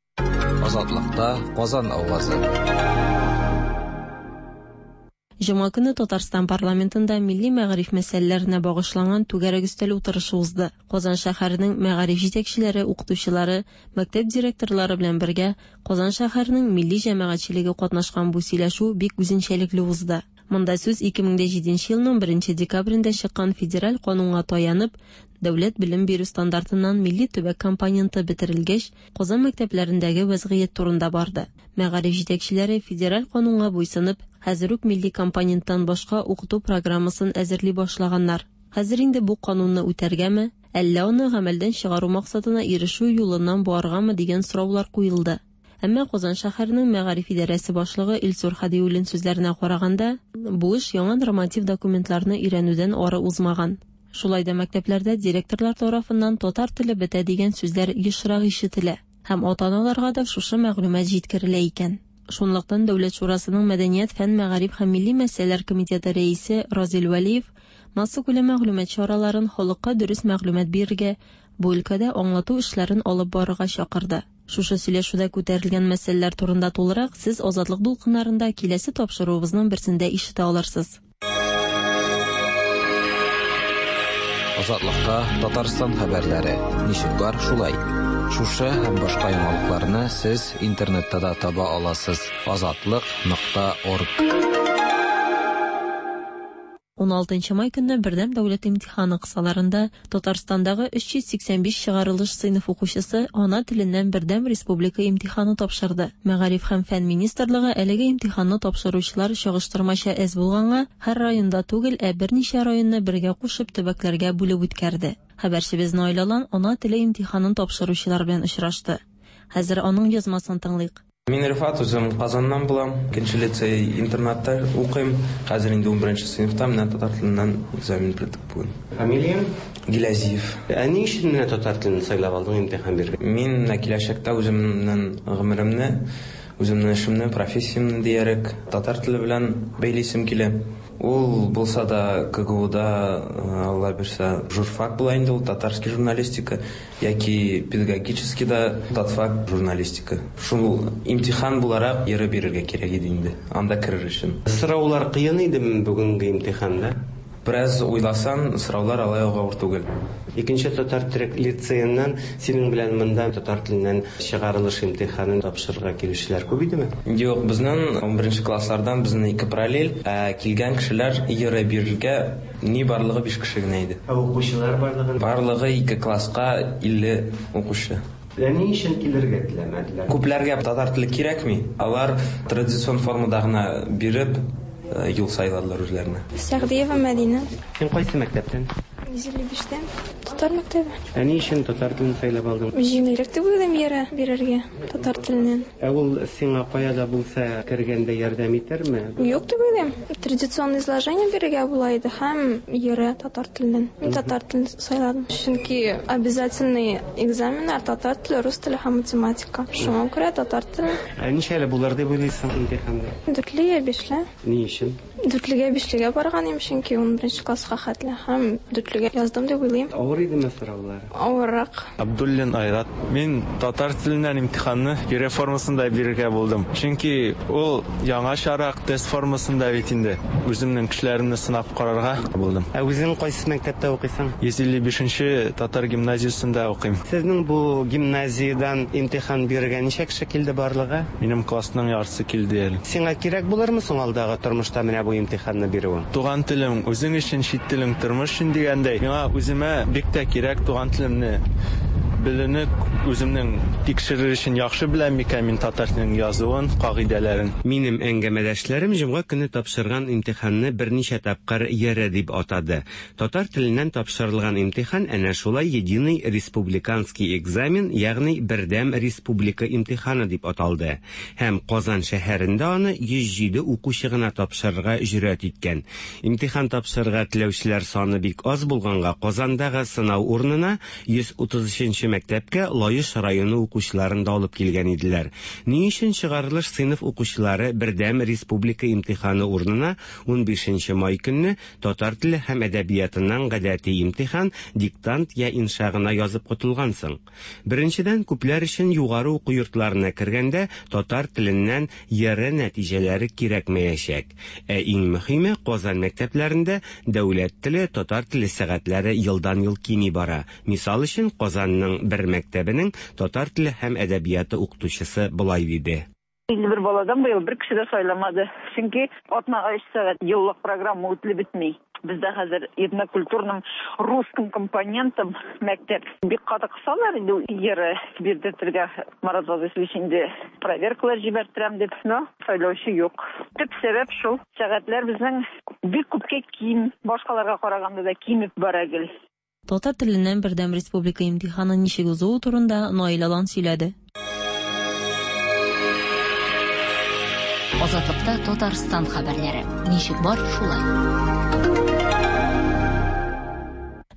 Азатлыкта Казан авазы. Җомга көне Татарстан парламентында милли мәгариф мәсьәләләренә багышланган түгәрәк өстәл утырышы узды. Казан шәһәренең мәгариф җитәкчеләре, укытучылары, мәктәп директорлары белән бергә Казан шәһәренең милли җәмәгатьчелеге катнашкан бу сөйләшү бик үзенчәлекле узды. Монда сүз ике мең дә җиденче елның беренче декабрендә чыккан федераль канунга таянып, дәүләт белем бирү стандартыннан милли төбәк компоненты бетерелгәч, Казан мәктәпләрендәге вәзгыять турында барды. Мәгариф җитәкчеләре федераль канунга буйсынып, хәзер үк милли компоненттан башка укыту программасын әзерли башлаганнар. Хәзер инде бу канунны үтәргәме, әллә аны гамәлдән чыгару максатына ирешү юлыннан баргамы дигән сораулар куелды. Әмма Казан шәһәренең мәгариф идарәсе башлыгы Илсур Хадиуллин сүзләренә караганда, бу эш яңа норматив документларны өйрәнүдән ары узмаган. Шулай да мәктәпләрдә директорлар тарафыннан татар теле бетә дигән сүзләр ешрак ишетелә һәм ата-аналарга да шушы мәгълүмат җиткерелә икән. Шунлыктан Дәүләт шурасының Мәдәният, фән, мәгариф һәм милли мәсьәләләр комитеты рәисе Разил Вәлиев массакүләм мәгълүмат чараларын халыкка дөрес мәгълүмат бирергә, бу өлкәдә аңлату эшләрен алып барырга чакырды. Шушы сөйләшүдә күтәрелгән мәсьәләләр турында тулырак сез Азатлык дулкыннарында киләсе тапшыруыбызның берсендә ишетә алырсыз. Азатлыкта Татарстан хәбәрләре. Ничек бар, шулай. Шушы һәм башка яңалыкларны сез интернетта да таба аласыз. Азатлык нокта орг. Уналтынчы май көнне бердәм дәүләт имтиханы кысаларында Татарстандагы өч йөз сиксән биш чыгарылыш сыйныф укучысы ана теленнән бердәм республика имтиханы тапшырды. Мәгариф һәм фән министрлыгы әлеге имтиханны тапшыручылар чагыштырмача әз булганга һәр районда түгел, ә берничә районны бергә кушып төбәкләргә бүлеп үткәрде. Хәбәрчебез Наил Алан ана теле имтиханын тапшыручылар белән очрашты. Хәзер аның язмасын тыңлыйк. Мин Рифат, үзем Казаннан булам. Икенче лицей интернатта укыйм. Хәзер инде унберенче сыйныфта, менә татар теленнән экзамен бирдек бүген. Фамилияң? Гилязиев. Ә ни өчен менә татар телен сайлап алдың имтихан бирергә? Мин менә киләчәктә үземнең гомеремне, үземнең эшемне, профессиямне диярек татар теле белән бәйлисем килә. Ул булса да КГУда, Алла бирсә, журфак була инде ул, татарский журналистика, яки педагогический да татфак журналистика. Шул имтихан буларак йөреп бирергә кирәк иде инде, анда керер өчен. Сораулар кыен идеме бүгенге имтиханда? Бераз уйласаң, сораулар алай ук авыр түгел. Икенче татар төрек лицееннан синең белән монда татар теленнән чыгарылыш имтиханын тапшырырга килүчеләр күп идеме? Юк, безнең унберенче класслардан безнең ике параллель, ә килгән кешеләр йөреп бирергә ни барлыгы биш кеше генә иде. Ә укучылар барлыгы? Барлыгы ике класска илле укучы. Ә ни өчен килергә теләмәделәр? Күпләргә татар теле кирәкми. Алар традицион формада гына биреп юл сайладылар үзләренә. Сәгъдиева Мәдинә. Син кайсы мәктәптән? йөз илле биштән. Татар мәктәбе. Ә ни өчен татар телен сайлап алдың? Җиңелрәк дип уйлыйм йөрә бирергә татар теленнән. Ә ул сиңа кая да булса кергәндә ярдәм итәрме? Юк дип уйлыйм. Традиционный изложение бирергә була иде һәм йөрә татар теленнән. Мин татар телен сайладым. Чөнки обязательный экзаменнар татар теле, рус теле һәм математика. Шуңа күрә татар теле. Ә ничәле булыр дип уйлыйсың имтиханда? Дүртле я бишле. Ни өчен? Дүртлегә бишлегә барган идем, чөнки унберенче класска хәтле һәм дүртлегә яздым дип уйлыйм. Авыр идеме сораулар? Авыррак. Абдуллин Айрат. Мин татар теленнән имтиханны йөрә формасында бирергә булдым. Чөнки ул яңачарак тест формасында бит инде. Үземнең көчләремне сынап карарга булдым. Ә үзең кайсы мәктәптә укыйсың? йөз илле бишенче татар гимназиясендә укыйм. Сезнең бу гимназиядән имтихан бирергә ничә кеше килде барлыгы? Минем классның яртысы килде әле. Сиңа кирәк булырмы соң алдагы тормышта менә бу имтиханны бирүең? Туган телем үзең өчен, чит телең тормыш өчен дигәндәй, миңа үземә бик тә кирәк туган телемне белүне, үземнең тикшерер өчен яхшы беләм микән мин татар теленең язуын, кагыйдәләрен. Минем әңгәмәдәшләрем җомга көне тапшырган имтиханны берничә тапкыр йөрә дип атады. Татар теленнән тапшырылган имтихан әнә шулай единый республиканский экзамен, ягъни бердәм республика имтиханы дип аталды. Һәм Казан шәһәрендә аны йөз җиде укучы гына тапшырырга җөрьәт иткән. Имтихан тапшырырга теләүчеләр саны бик аз булганга Казандагы сынау урынына йөз утыз өченче мәктәпкә Лаеш районы укучыларын да алып килгән иделәр. Ни өчен чыгарылыш сыйныф укучылары бердәм республика имтиханы урынына унбишенче май көнне татар теле һәм әдәбиятыннан гадәти имтихан, диктант я инша гына язып котылган соң? Беренчедән, күпләр өчен югары уку йортларына кергәндә татар теленнән йөрә нәтиҗәләре кирәкмәячәк. Ә иң мөһиме, Казан мәктәпләрендә дәүләт теле, татар теле сәгатьләре елдан-ел кими бара. Мисал өчен, Казанның бер мәктәбенең татар теле һәм әдәбияты укытучысы болай диде. Илле бер баладан быел бер кеше дә сайламады. Чөнки атнага өч сәгать еллык программа үтелеп бетми. Бездә хәзер этнокультурным русским компонентом мәктәп бик каты кысалар инде йөрә бирдертергә. Марат Вазыйфович инде проверкалар җибәртерәм дип, но сайлаучы юк. Төп сәбәп шул. Сәгатьләр безнең бик күпкә ким, башкаларга караганда да кимеп бара гел. Татар теленнән бердәм республика имтиханы ничек узуы турында Наил Алан сөйләде. Азатлыкта Татарстан хәбәрләре. Ничек бар, шулай.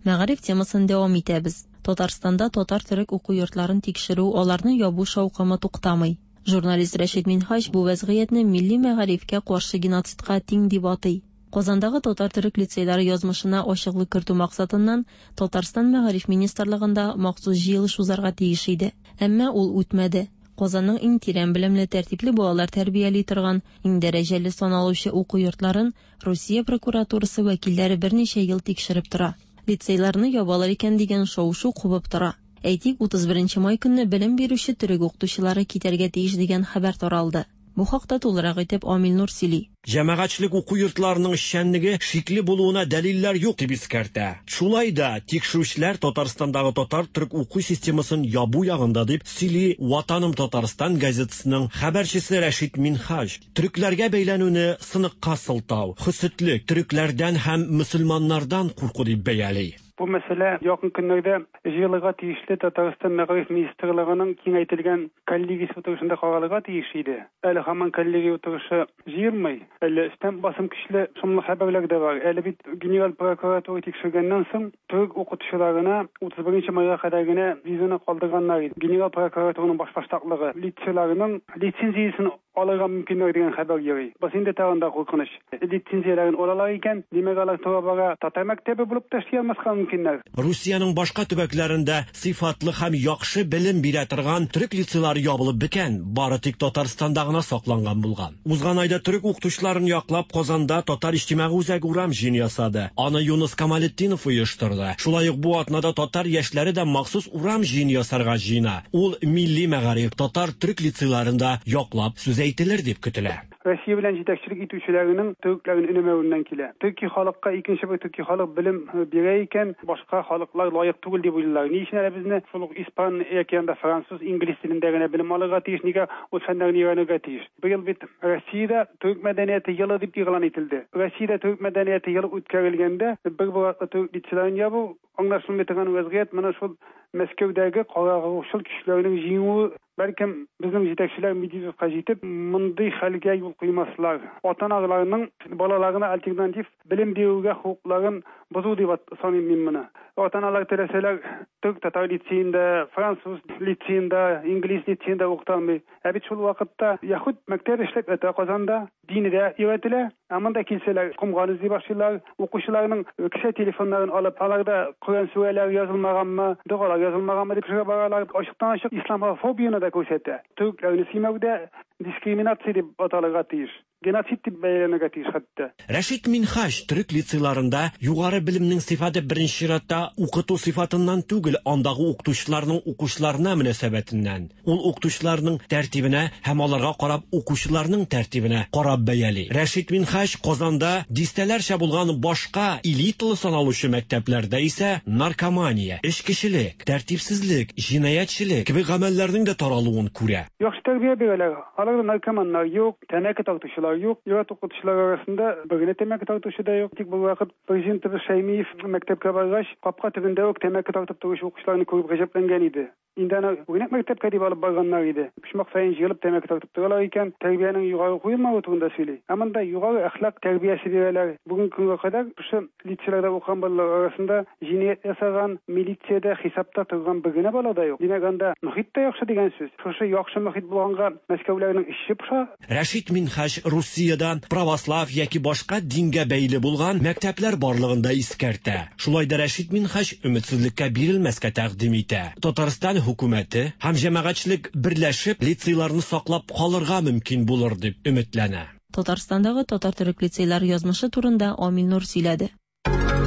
Мәгариф темасын дәвам итәбез. Татарстанда татар төрек уку йортларын тикшерү, аларны ябу шаукымы туктамый. Журналист Рәшит Минһаҗ бу вәзгыятьне милли мәгарифкә каршы геноцидка тиң дип атый. Казандагы татар төрек лицейлары язмышына ачыклык кертү максатыннан Татарстан мәгариф министрлыгында махсус җыелыш узарга тиеш иде. Әмма ул үтмәде. Казанның иң тирән белемле, тәртипле балалар тәрбияли торган, иң дәрәҗәле саналучы уку йортларын Русия прокуратурасы вәкилләре берничә ел тикшереп тора. Лицейларны ябалар икән дигән шау-шу кубып тора. Әйтик, утыз беренче май көнне белем бирүче төрек укытучылары китәргә тиеш дигән хәбәр таралды. Бу хакта тулырак итеп Амил Нур сөйли. Җәмәгатьчелек уку йортларының эшчәнлеге шикле булуына дәлилләр юк дип искәртә. Шулай да тикшерүчеләр Татарстандагы татар төрек уку системасын ябу ягында дип сөйли Ватаным Татарстан газетасының хәбәрчесе Рәшит Минһаҗ. Төрекләргә бәйләнүне сыныкка сылтау, хөсетлек, төрекләрдән һәм мөселманнардан курку дип бәяли. Бу мәсьәлә якын көннәрдә җыелырга тиешле Татарстан мәгариф министрлыгының киңәйтелгән коллегиясе утырышында каралырга тиеш иде. Әле һаман коллегия утырышы җыелмый. Әле өстән басым көчле шомлы хәбәрләр дә бар. Әле бит генераль прокуратура тикшергәннән соң төрек укытучыларына утыз беренче майга кадәр генә визаны калдырганнар иде. Генераль прокуратураның башбаштаклыгы лицейларының лицензиясен алырга мөмкинлек дигән хәбәр йөри. Бу инде тагын да куркыныч. Лицензияләрен алалар икән, димәк алар тора-бара татар мәктәбе булып та эшли алмаска мөмкиннәр. Русиянең башка төбәкләрендә сыйфатлы һәм яхшы белем бирә торган төрек лицейлары ябылып беткән, бары тик Татарстанда гына сакланган булган. Узган айда төрек укытучыларын яклап Казанда Татар иҗтимагый үзәге урам җыены ясады. Аны Юныс Камалетдинов оештырды. Шулай ук бу атнада татар яшьләре дә махсус урам җыены ясарга җыена. Ул милли мәгариф татар төрек лицейларында яклап сүз әйтелер дип көтелә. Россия белән җитәкчелек итүчеләренең төрекләрен өнәмәвеннән килә. Төрки халыкка икенче бер төрки халык белем бирә икән, башка халыклар лаек түгел дип уйлыйлар. Ни өчен әле безне шул ук испан яки анда француз, инглиз телендә генә белем алырга тиеш, нигә ул фәннәрне өйрәнергә тиеш? Быел бит Россиядә төрек мәдәнияте елы дип игълан ителде. Россиядә төрек мәдәнияте елы үткәрелгәндә бер бер төрек лицейларын ябу аңлашылмый торган вазгыять. Менә шул Мәскәүдәге карагышыл көчләренең җиңүе, бәлкем безнең җитәкчеләр Медведевка җитеп, мондый хәлгә юл куймаслар. Ата-аналарның балаларына альтернатив белем бирүгә хокукларын бозу дип саныйм мин моны. Ата-аналар теләсәләр төрек татар лицеенда, француз лицеенда, инглиз лицеенда укыта алмый. Ә бит шул вакытта яһүд мәктәбе эшләп ята Казанда, дине дә өйрәтелә. Ә монда килсәләр комган эзли башлыйлар, укучыларның кесә телефоннарын алып, аларда Коръән сүрәләре язылмаганмы, догалар язылмаганмы дип сорап баралар. Ачыктан-ачык исламофобияне дә күрсәтә. Төрекләрне сөймәүдә дискриминация дип аталырга тиеш. Геноцид дип бәяләнергә тиеш хәтта. Рәшит Минһаҗ төрек лицейларында югары белемнең сыйфаты беренче чиратта укыту сыйфатыннан түгел, андагы укытучыларның укучыларына мөнәсәбәтеннән. Ул укытучыларның тәртибенә һәм аларга карап укучыларның тәртибенә карап бәяли. Рәшит Минһаҗ Казанда дистәләрчә булган башка элиталы саналучы мәктәпләрдә исә наркомания, эчкечелек, тәртипсезлек, җинаятьчелек кебек гамәлләрнең дә таралуын күрә. Яхшы тәрбия бирәләр. Аларда наркоманнар юк, тәмәке тартучылар юк, ир-ат укытучылар арасында бер генә тәмәке тартучы да юк. Тик бу вакыт президентыбыз Шәймиев мәктәпкә баргач, капка төбендә үк тәмәке тартып торучы укучыларны күреп гаҗәпләнгән иде. Инде аны үрнәк мәктәпкә дип алып барганнар иде. Почмак саен җыелып тәмәке тартып торалар икән, тәрбиянең югары куелмавы турында сөйли. Ә монда югары әхлак тәрбиясе бирәләр. Бүгенге көнгә кадәр шушы лицейларда укыган балалар арасында җинаять ясаган, милициядә хисапта торган бер генә бала да юк. Димәк, анда мохит тә яхшы дигән сүз. Шушы яхшы мохит булганга Мәскәүләрнең эше поша. Рәшит Минһаҗ Русиядә православ яки башка дингә бәйле булган мәктәпләр барлыгын да искәртә. Шулай да Рәшит Минһаҗ өметсезлеккә бирелмәскә тәкъдим итә. Татарстан хөкүмәте һәм җәмәгатьчелек берләшеп лицейларны саклап калырга мөмкин булыр дип өметләнә. Татарстандагы татар төрек лицейлары язмышы турында Амил Нур сөйләде.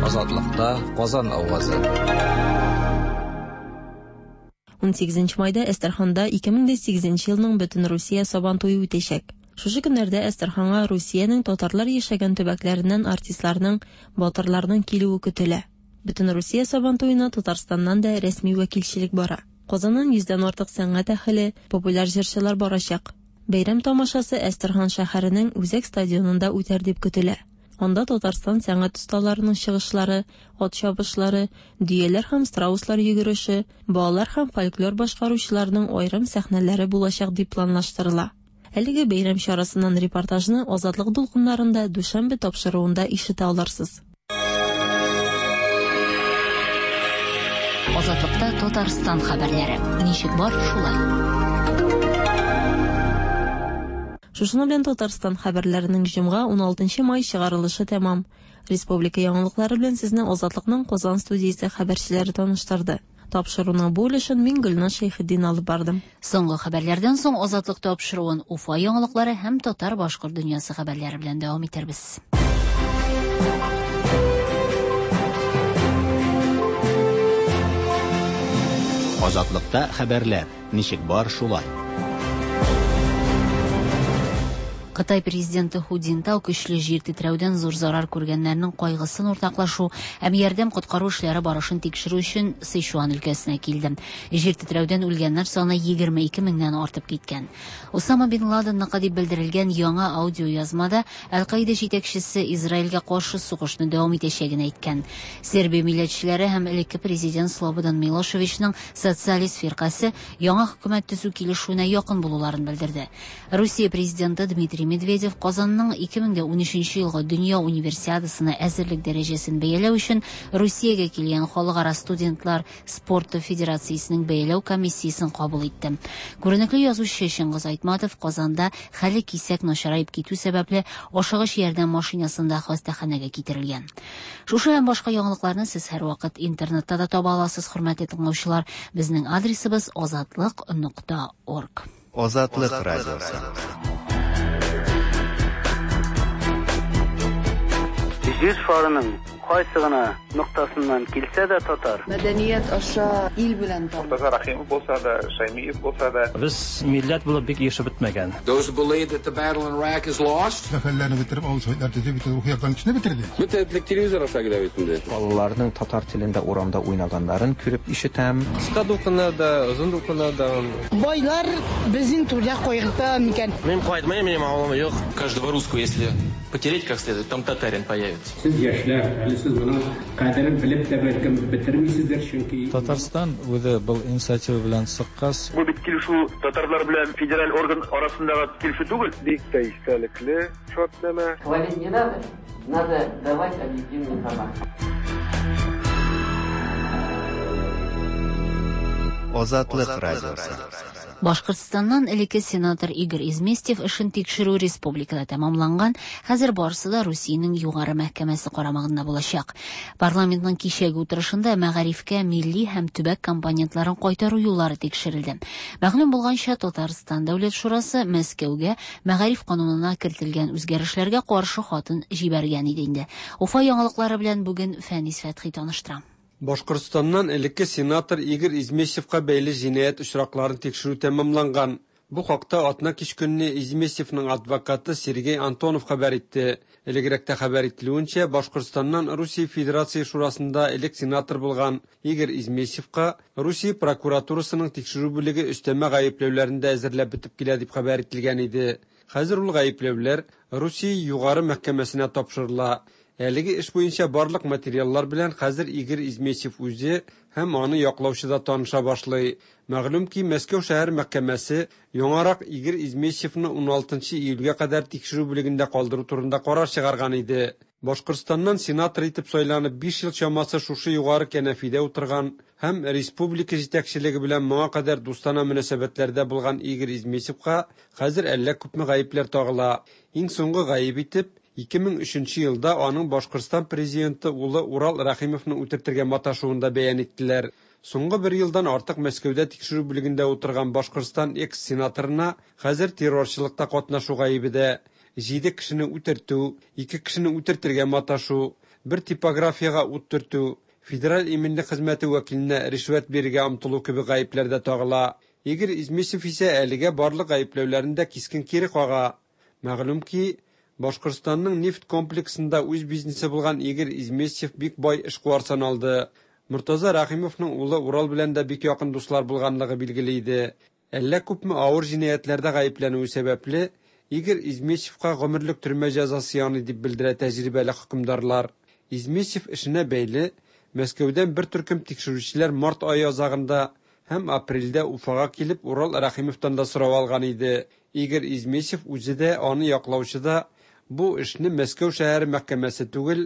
Азатлыкта Казан авазы. Унсигезенче майда Әстерханда ике мең дә сигезенче елның бөтен Русия Сабан туе үтәчәк. Шушы көннәрдә Әстерханга Русиянең татарлар яшәгән төбәкләреннән артистларның, батырларның килүе көтелә. Бөтен Русия Сабан туена Татарстаннан да рәсми вәкилчелек бара. Казаннан йөздән артык сәнгать әһеле, популяр җырчылар барачак. Бәйрәм тамашасы Әстерхан шәһәренең үзәк стадионында үтәр дип көтелә. Анда Татарстан сәнгать осталарының чыгышлары, ат чабышлары, дөяләр һәм страуслар йөгереше, балалар һәм фольклор башкаручыларның аерым сәхнәләре булачак дип планлаштырыла. Әлеге бәйрәм чарасыннан репортажны Азатлык дулкыннарында дүшәмбе тапшыруында ишетә алырсыз. Азатлыкта Татарстан хәбәрләре. Ничек бар, шулай. Шушының белән Татарстан хәбәрләренең җомга уналтынчы май чыгарылышы тәмам. Республика яңалыклары белән сезне Азатлыкның Казан студиясе хәбәрчеләре таныштырды. Тапшыруның бу өлешен мин Гөлназ Шәйхетдин алып бардым. Соңгы хәбәрләрдән соң Азатлык тапшыруын Уфа яңалыклары һәм татар-башкорт дөньясы хәбәрләре белән дәвам итәрбез. Азатлыкта хәбәрләр. Ничек бар, шулай. Кытай президенты Ху Цзиньтао көчле җир тетрәүдән зур зарар күргәннәрнең кайгысын уртаклашу һәм ярдәм коткару эшләре барышын тикшерү өчен Сычуан өлкәсенә килде. Җир тетрәүдән үлгәннәр саны егерме ике меңнән артып киткән. Усама бин Ладенныкы дип белдерелгән яңа аудиоязмада Әл-Каида җитәкчесе Израильгә каршы сугышны дәвам итәчәген әйткән. Сербия милләтчеләре һәм элекке президент Слободан Милошевичның социалист фиркасе яңа хөкүмәт төзү килешүенә якын булуларын белдерде. Русия президенты Дмитрий Медведев Казанның ике мең унөченче елгы дөнья универсиадасына әзерлек дәрәҗәсен бәяләү өчен Русиягә килгән халыкара студентлар спорты федерациясенең бәяләү комиссиясен кабул итте. Күренекле язучы Чыңгыз Айтматов Казанда хәле кисәк начараеп китү сәбәпле ашыгыч ярдәм машинасында хастаханәгә китерелгән. Шушы һәм башка яңалыкларны сез һәрвакыт интернетта да таба аласыз, хөрмәтле тыңлаучылар. Безнең адресыбыз азатлык нокта орг. Азатлык радиосы. Җир шарының кайсы гына ноктасыннан килсә дә татар. Мәдәният аша ил белән таныш. Мортаза Рахимов булса да, Шаймиев булса да. Без милләт булып бик ешып бетмәгән. Those who believe that the battle in Iraq is lost. Сәфәрләрне бетереп, авыл советлар төзеп, бит рухи яктан кешене бетерде. Бөтен телевизор аша килә бит инде. Балаларның татар телендә урамда уйнаганнарын күреп ишетәм. Кыска дулкыннарда, озын дулкыннарда. Байлар безнең түрдә кайгырта микән? Мин кайтмыйм, минем авылым юк. Каждого русского, если потереть как следует, там татарин появится. Сез яшьләр, әле сез моның кадерен белеп тә бәлкем бетермисездер, чөнки Татарстан үзе был инициатива белән чыккач. Бу бит килешү татарлар белән федераль орган арасындагы килешү түгел. Бик тә истәлекле шартнамә. Хвалить не надо, надо давать объективную информацию. Азатлык радиосы. Башкортстаннан элекке сенатор Игорь Изместьев эшен тикшерү республикада тәмамланган, хәзер барысы да Русиянең югары мәхкәмәсе карамагында булачак. Парламентның кичәге утырышында мәгарифкә милли һәм төбәк компонентларын кайтару юллары тикшерелде. Мәгълүм булганча, Татарстан Дәүләт Шурасы Мәскәүгә мәгариф канунына кертелгән үзгәрешләргә каршы хатын җибәргән иде инде. Уфа яңалыклары белән бүген Фәнис Фәтхи таныштыра. Башкортстаннан элекке сенатор Игорь Изместьевка бәйле җинаять очракларын тикшерү тәмамланган. Бу хакта атна кич көнне Изместьевның адвокаты Сергей Антонов хәбәр итте. Элегрәктә хәбәр ителүенчә, Башкортстаннан Русия Федерация Шурасында элек сенатор булган Игорь Изместьевка Русия прокуратурасының тикшерү бүлеге өстәмә гаепләүләрен дә әзерләп бетеп килә дип хәбәр ителгән иде. Хәзер ул гаепләүләр Русия югары мәхкәмәсенә тапшырыла. Әлеге эш буенча барлык материаллар белән хәзер Игорь Изместьев үзе һәм аны яклаучы да таныша башлый. Мәгълүм ки, Мәскәү шәһәр мәхкәмәсе яңарак Игорь Изместьевны уналтынчы июльгә кадәр тикшерү бүлегендә калдыру турында карар чыгарган иде. Башкортстаннан сенатор итеп сайланып биш ел чамасы шушы югары кәнәфидә утырган һәм республика җитәкчелеге белән моңа кадәр дустана мөнәсәбәтләрдә булган Игорь Изместьевка хәзер әллә күпме гаепләр тагыла. Иң соңгы гаеп итеп ике мең өченче елда аның Башкортстан президенты улы Урал Рахимовны үтертергә маташуын да бәян иттеләр. Соңгы бер елдан артык Мәскәүдә тикшерү бүлегендә утырган Башкортстан экс-сенаторына хәзер террорчылыкта катнашу гаебе дә, җиде кешене үтертү, ике кешене үтертергә маташу, бер типографиягә ут төртү, федераль иминлек хезмәте вәкиленә ришвәт бирергә омтылу кебек гаепләр дә тагыла. Игорь Изместьев исә әлегә барлык гаепләүләрен дә кискен кире кага. Мәгълүм ки, Башкортстанның нефть комплексында үз бизнесы булган Игорь Изместьев бик бай эшкуар саналды. Мортаза Рахимовның улы Урал белән дә бик якын дуслар булганлыгы билгеле иде. Әллә күпме авыр җинаятьләрдә гаепләнүе сәбәпле, Игорь Изместьевка гомерлек төрмә җәзасы яный дип белдерә тәҗрибәле хөкемдарлар. Изместьев эшенә бәйле Мәскәүдән бер төркем тикшерүчеләр март ае азагында һәм апрельдә Уфага килеп Урал Рахимовтан да сорау алган иде. Игорь Изместьев үзе дә, аны яклаучы да бу эшне Мәскәү шәһәре мәхкәмәсе түгел,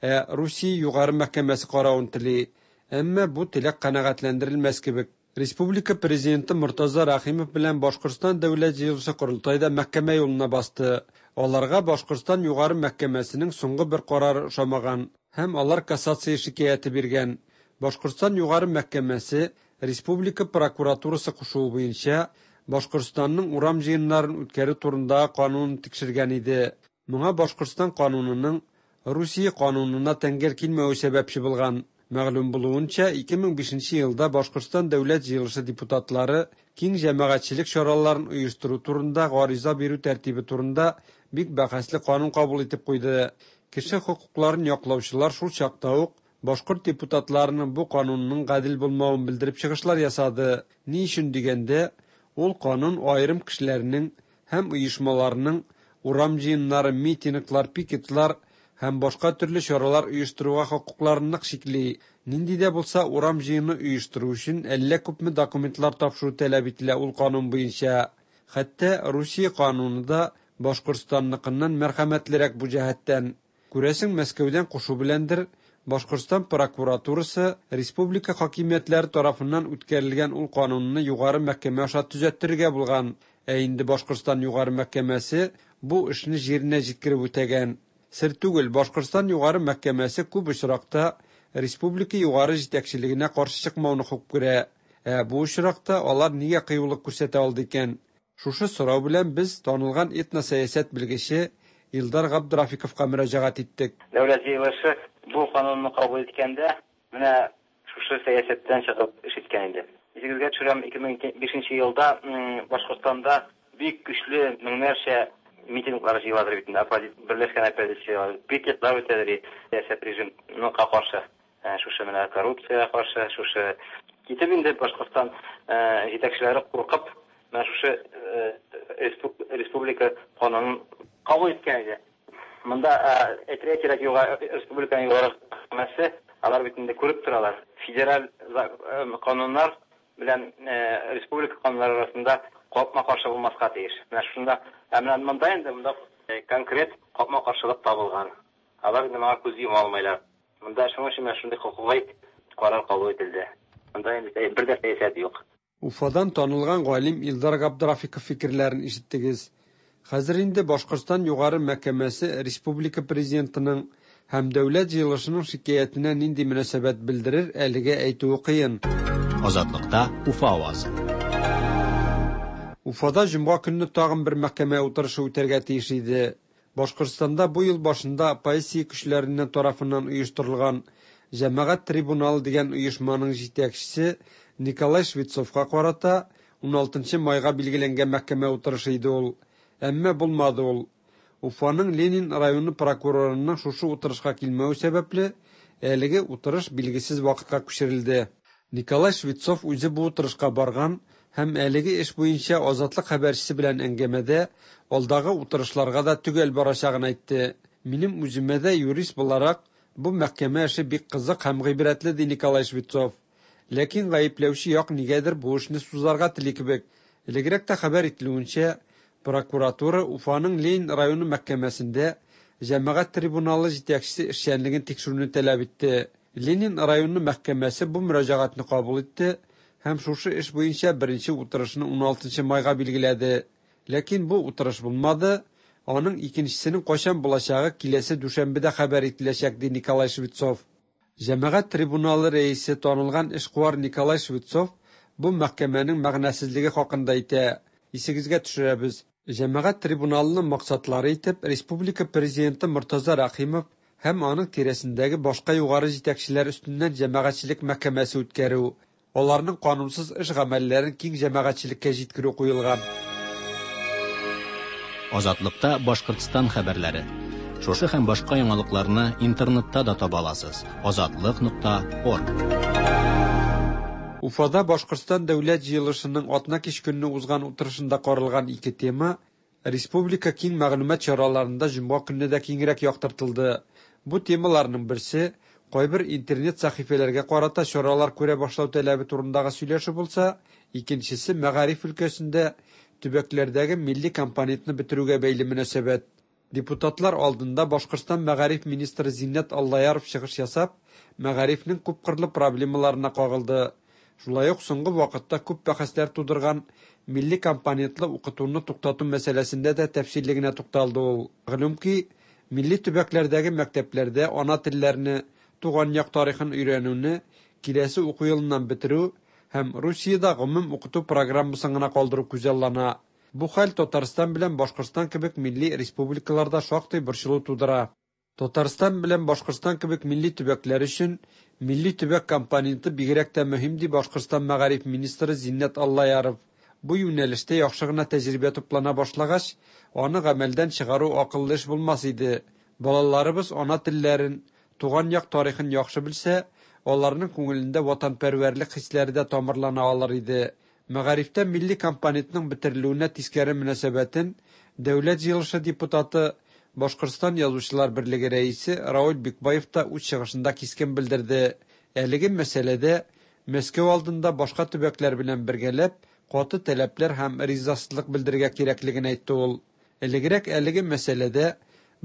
ә Русия югары мәхкәмәсе каравын тели. Әмма бу теләк канәгатьләндерелмәс кебек. Республика президенты Мортаза Рахимов белән Башкортстан Дәүләт җыелышы корылтайда мәхкәмә юлына басты. Аларга Башкортстан югары мәхкәмәсенең соңгы бер карары ошамаган һәм алар кассация шикаяте биргән. Башкортстан югары мәхкәмәсе Республика прокуратурасы кушуы буенча Башкортстанның урам җыеннарын үткәрү турындагы канунын тикшергән иде. Моңа Башкортстан канунының Русия канунына тәңгәл килмәве сәбәпче булган. Мәгълүм булуынча, ике мең бишенче елда Башкортстан Дәүләт җыелышы депутатлары киң җәмәгатьчелек чараларын оештыру турында гариза бирү тәртибе турында бик бәхәсле канун кабул итеп куйды. Кеше хокукларын яклаучылар шул чакта ук башкорт депутатларының бу канунның гадел булмавын белдереп чыгышлар ясады. Ни өчен дигәндә, ул канун аерым кешеләрнең һәм оешмаларның урам җыеннары, митинглар, пикетлар һәм башка төрле чаралар оештыруга хокукларын нык чикли. Нинди дә булса урам җыены оештыру өчен әллә күпме документлар тапшыру таләп ителә ул канун буенча. Хәтта Русия кануны да Башкортстанныкыннан мәрхәмәтлерәк бу җәһәттән. Күрәсең, Мәскәүдән кушу беләндер, Башкортстан прокуратурасы республика хакимиятләре тарафыннан үткәрелгән ул канунны югары мәхкәмә аша төзәттерергә булган. Ә инде Башкортстан югары мәхкәмәсе бу эшне җиренә җиткереп үтәгән. Сер түгел, Башкортстан югары мәхкәмәсе күп очракта республика югары җитәкчелегенә каршы чыкмауны хуп күрә. Ә бу очракта алар нигә кыюлык күрсәтә алды икән? Шушы сорау белән без танылган этносәясәт белгече Илдар Габдрафиковка мөрәҗәгать иттек. Дәүләт җыелышы бу канунны кабул иткәндә менә шушы сәясәттән чыгып эш иткән иде. Исегезгә төшерәм, ике мең бишенче елда Башкортстанда бик көчле меңнәрчә митинглар җыеладыр бит инде, берләшкән оппозиция, пикетлар үтәдер сәясәт режимына каршы, шушы менә коррупциягә каршы, шушы китеп инде Башкортстан җитәкчеләре куркып менә шушы республика канунын кабул иткән иде. Монда әйтергә кирәк, югары республиканың югары мәхкәмәсе алар бит инде күреп торалар. Федераль кануннар белән республика кануннары арасында капма-каршы булмаска тиеш. Менә шунда, ә менә монда инде монда конкрет капма-каршылык табылган. Алар инде моңа күз йома алмыйлар. Монда шуның өчен менә шундый хокукый карар кабул ителде. Монда инде бер дә сәясәт юк. Уфадан танылган галим Илдар Габдрафиков фикерләрен ишеттегез. Хәзер инде Башкортстан югары мәхкәмәсе республика президентының һәм дәүләт җыелышының шикаятенә нинди мөнәсәбәт белдерер, әлегә әйтүе кыен. Азатлыкта Уфа авазы. Уфада җомга көнне тагын бер мәхкәмә утырышы үтәргә тиеш иде. Башкортстанда бу ел башында оппозиция көчләреннән тарафыннан оештырылган Җәмәгать трибуналы дигән оешманың җитәкчесе Николай Швецовка карата уналтынчы майга билгеләнгән мәхкәмә утырышы иде ул. Әмма булмады ул. Уфаның Ленин районы прокурорының шушы утырышка килмәве сәбәпле, әлеге утырыш билгесез вакытка күчерелде. Николай Швецов үзе бу утырышка барган һәм әлеге эш буенча Азатлык хәбәрчесе белән әңгәмәдә алдагы утырышларга да төгәл барачагын әйтте. Минем үземә дә юрист буларак бу мәхкәмә эше бик кызык һәм гыйбрәтле, ди Николай Швецов. Ләкин гаепләүче як нигәдер бу эшне сузарга тели кебек. Элегрәк тә хәбәр ителүенчә, прокуратура Уфаның Ленин районы мәхкәмәсендә җәмәгать трибуналы җитәкчесе эшчәнлеген тикшерүне таләп итте. Ленин районы мәхкәмәсе бу мөрәҗәгатьне кабул итте һәм шушы эш буенча беренче утырышны уналтынчы майга билгеләде. Ләкин бу утырыш булмады. Аның икенчесенең кайчан булачагы киләсе дүшәмбедә хәбәр ителәчәк, ди Николай Швецов. Җәмәгать трибуналы рәисе танылган эшкуар Николай Швецов бу мәхкәмәнең мәгънәсезлеге хакында әйтә. Исегезгә төшерәбез. Җәмәгать трибуналының максатлары итеп республика президенты Мортаза Рәхимов һәм аның тирәсендәге башка югары җитәкчеләр өстеннән җәмәгатьчелек мәхкәмәсе үткәрү, аларның канунсыз эш гамәлләрен киң җәмәгатьчелеккә җиткерү куелган. Азатлыкта Башкортстан хәбәрләре. Шушы һәм башка яңалыкларны интернетта да таба аласыз. Азатлык нокта орг. Уфада Башкортстан дәүләт җыелышының атна кич көнне узган утырышында каралган ике тема республика киң мәгълүмат чараларында җомга көнне дә киңрәк яктыртылды. Бу темаларның берсе кайбер интернет сәхифәләргә карата чаралар күрә башлау таләбе турындагы сөйләшү булса, икенчесе мәгариф өлкәсендә төбәкләрдәге милли компонентны бетерүгә бәйле мөнәсәбәт. Депутатлар алдында Башкортстан мәгариф министры Зиннәт Аллаяров чыгыш ясап, мәгарифнең күпкырлы проблемаларына кагылды. Шулай ук соңгы вакытта күп бәхәсләр тудырган милли компонентлы укытуны туктату мәсьәләсендә дә тәфсилле генә тукталды ул. Мәгълүм ки, милли төбәкләрдәге мәктәпләрдә ана телләрне, туган як тарихын өйрәнүне киләсе уку елыннан бетерү һәм Русиядә гомум укыту программасын гына калдыру күзаллана. Бу хәл Татарстан белән Башкортстан кебек милли республикаларда шактый борчылу тудыра. Татарстан белән Башкортстан кебек милли төбәкләр өчен милли төбәк компоненты бигрәк тә мөһим, ди Башкортстан мәгариф министры Зиннәт Аллаяров. Бу юнәлештә яхшы гына тәҗрибә туплана башлагач, аны гамәлдән чыгару акыллы эш булмас иде. Балаларыбыз ана телләрен, туган як тарихын яхшы белсә, аларның күңелендә ватанпәрвәрлек хисләре дә тамырлана алыр иде. Мәгарифтә милли компонентның бетерелүенә тискәре мөнәсәбәтен Дәүләт җыелышы депутаты, Башкортстан Язучылар берлеге рәисе Рауль Бикбаев та үз чыгышында кискен белдерде. Әлеге мәсьәләдә Мәскәү алдында башка төбәкләр белән бергәләп каты таләпләр һәм ризасызлык белдерергә кирәклеген әйтте ул. Элегрәк әлеге мәсьәләдә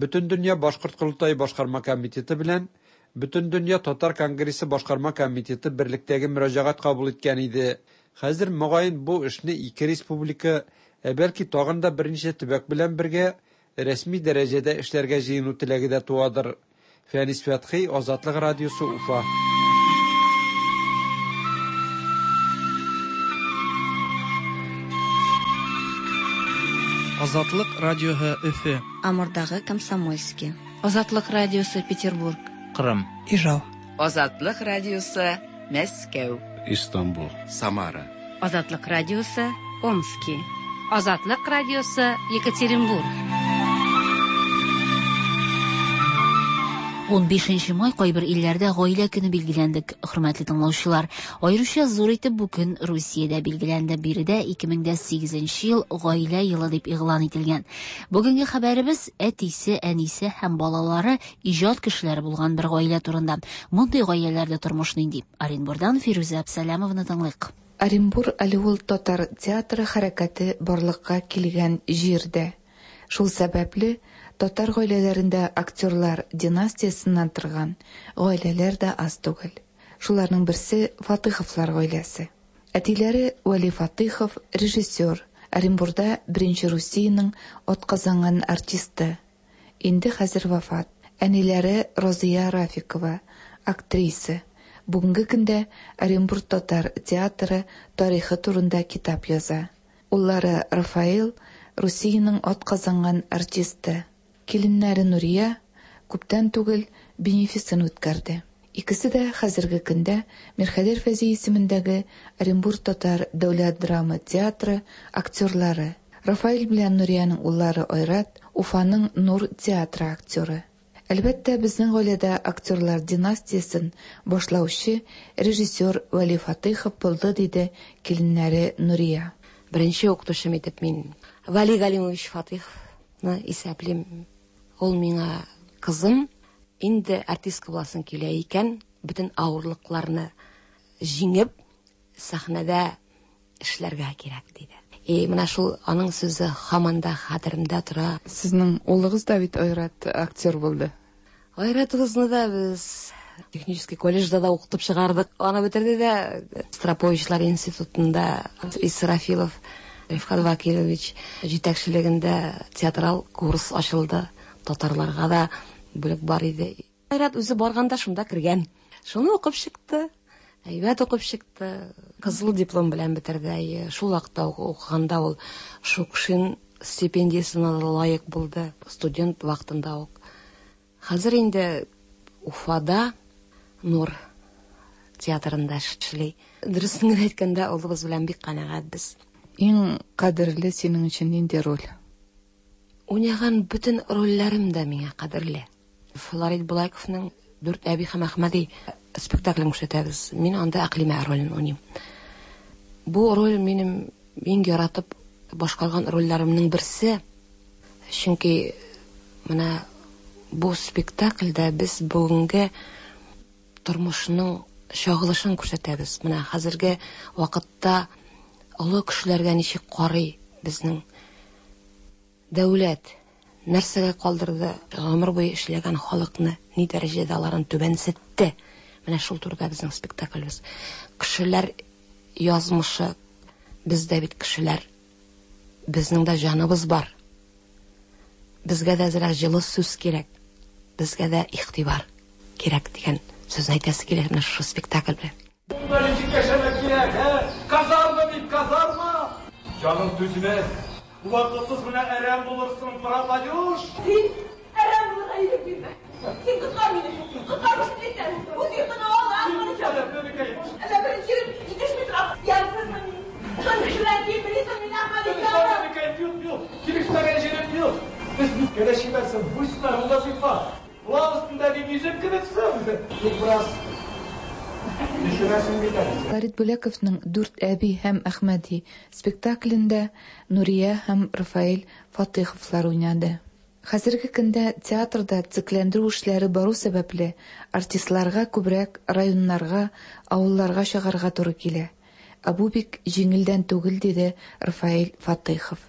Бөтендөнья Башкорт Корылтае башкарма комитеты белән Бөтендөнья Татар конгрессы башкарма комитеты берлектәге мөрәҗәгать кабул иткән иде. Хәзер мөгаен бу эшне ике республика, ә бәлки тагын да берничә төбәк белән бергә рәсми дәрәҗәдә эшләргә җыену теләге дә туадыр. Фәнис Фәтхи, Азатлык радиосы, Уфа. Азатлык радиоһы Өфе. Амурдагы Комсомольский. Азатлык радиосы Петербург. Кырым. Ижау. Азатлык радиосы Мәскәү. Истанбул. Самара. Азатлык радиосы Омски. Азатлык радиосы Екатеринбург. Унбишенче май кайбер илләрдә гаилә көне билгеләнде, хөрмәтле тыңлаучылар. Аеруча зур итеп бу көн Русиядә билгеләнде. Биредә ике мең дә сигезенче ел гаилә елы дип игълан ителгән. Бүгенге хәбәребез әтисе, әнисе һәм балалары иҗат кешеләре булган бер гаилә турында. Мондый гаиләләрдә тормыш нинди? Оренбурдан Фирүзә Әбсәләмованы тыңлыйк. Оренбур әле ул татар театры хәрәкәте барлыкка килгән җирдә. Шул сәбәпле татар гаиләләрендә актерлар династиясеннән торган гаиләләр дә аз түгел. Шуларның берсе Фатыховлар гаиләсе. Әтиләре Вәли Фатыхов режиссер, Оренбурда беренче Русиянең атказанган артисты. Инде хәзер вафат. Әниләре Розия Рафикова, актриса. Бүгенге көндә Оренбург татар театры тарихы турында китап яза. Уллары Рафаэл Русиянең атказанган артисты. Киленнәре Нурия күптән түгел бенефисын үткәрде. Икесе дә хәзерге көндә Мирхәдер Фәзи исемендәге Оренбург татар дәүләт драма театры актерлары. Рафаэль белән Нуриянең уллары Айрат Уфаның Нур театры актеры. Әлбәттә, безнең гаиләдә актерлар династиясен башлаучы режиссер Вәли Фатыхов булды, диде киленнәре Нурия. Беренче укытучым итеп мин Вәли Галимович Фатыховны исәплим. Ул миңа: кызым, инде артистка буласың килә икән, бөтен авырлыкларны җиңеп сәхнәдә эшләргә кирәк, диде. И менә шул аның сүзе һаман да хәтеремдә тора. Сезнең улыгыз да бит Айрат актер булды. Айратыбызны да без технический колледжда да укытып чыгардык. Аны бетерде дә Строповичлар институтында Исрафилов Рифкат Вакилович җитәкчелегендә театрал курс ачылды. Татарларга да бүлек бар иде. Айрат үзе барганда шунда кергән. Шуны укып чыкты. Әйбәт укып чыкты. Кызыл диплом белән бетерде. Шул вакытта укыганда ул Шукшин стипендиясенә лаек булды. Студент вакытында ук. Хәзер инде Уфада Нур театрында эшли. Дөресен генә әйткәндә, улыбыз белән бик канәгатьбез. Иң кадерле синең өчен нинди роль? Уйнаган бөтен рольләрем дә миңа кадерле. Флорид Булайковның Дүрт әби һәм Әхмәди спектаклен күрсәтәбез. Мин анда Әкълимә ролен уйныйм. Бу роль минем иң яратып башкарган рольләремнең берсе. Чөнки менә бу спектакльдә без бүгенге тормышның чагылышын күрсәтәбез. Менә хәзерге вакытта олы кешеләргә ничек карый безнең дәүләт, нәрсәгә калдырды гомер буе эшләгән халыкны, ни дәрәҗәдә аларын түбәнсетте. Менә шул турыда безнең спектаклебез. Кешеләр язмышы, бездә бит кешеләр, безнең дә җаныбыз бар. Безгә дә әзрәк җылы сүз кирәк, безгә дә игътибар кирәк дигән сүзне әйтәсе килә менә шушы спектакль белән. Ничек яшәмәк кирәк, ә? Казарма бит, казарма! Җаның түзмәс. Вакытсыз менә әрәм булырсың, пропадешь. Син әрәм булырга ирек бирмә. Син коткар мине, коткар бөтенлектән. Үз йортыңа ал, аны. Әллә беренче җитешми тора. Ямьсезме мин? Тын кешеләр кием белисеңме? йөзем кебексең. Тик бераз төшерәсең бит әле. Фәрит Бүләковның Дүрт әби һәм Әхмәди спектаклендә Нурия һәм Рафаэль Фатыйховлар уйнады. Хәзерге көндә театрда төзекләндерү эшләре бару сәбәпле, артистларга күбрәк районнарга, авылларга чыгарга туры килә. Ә бу бик җиңелдән түгел, диде Рафаэль Фатыйхов.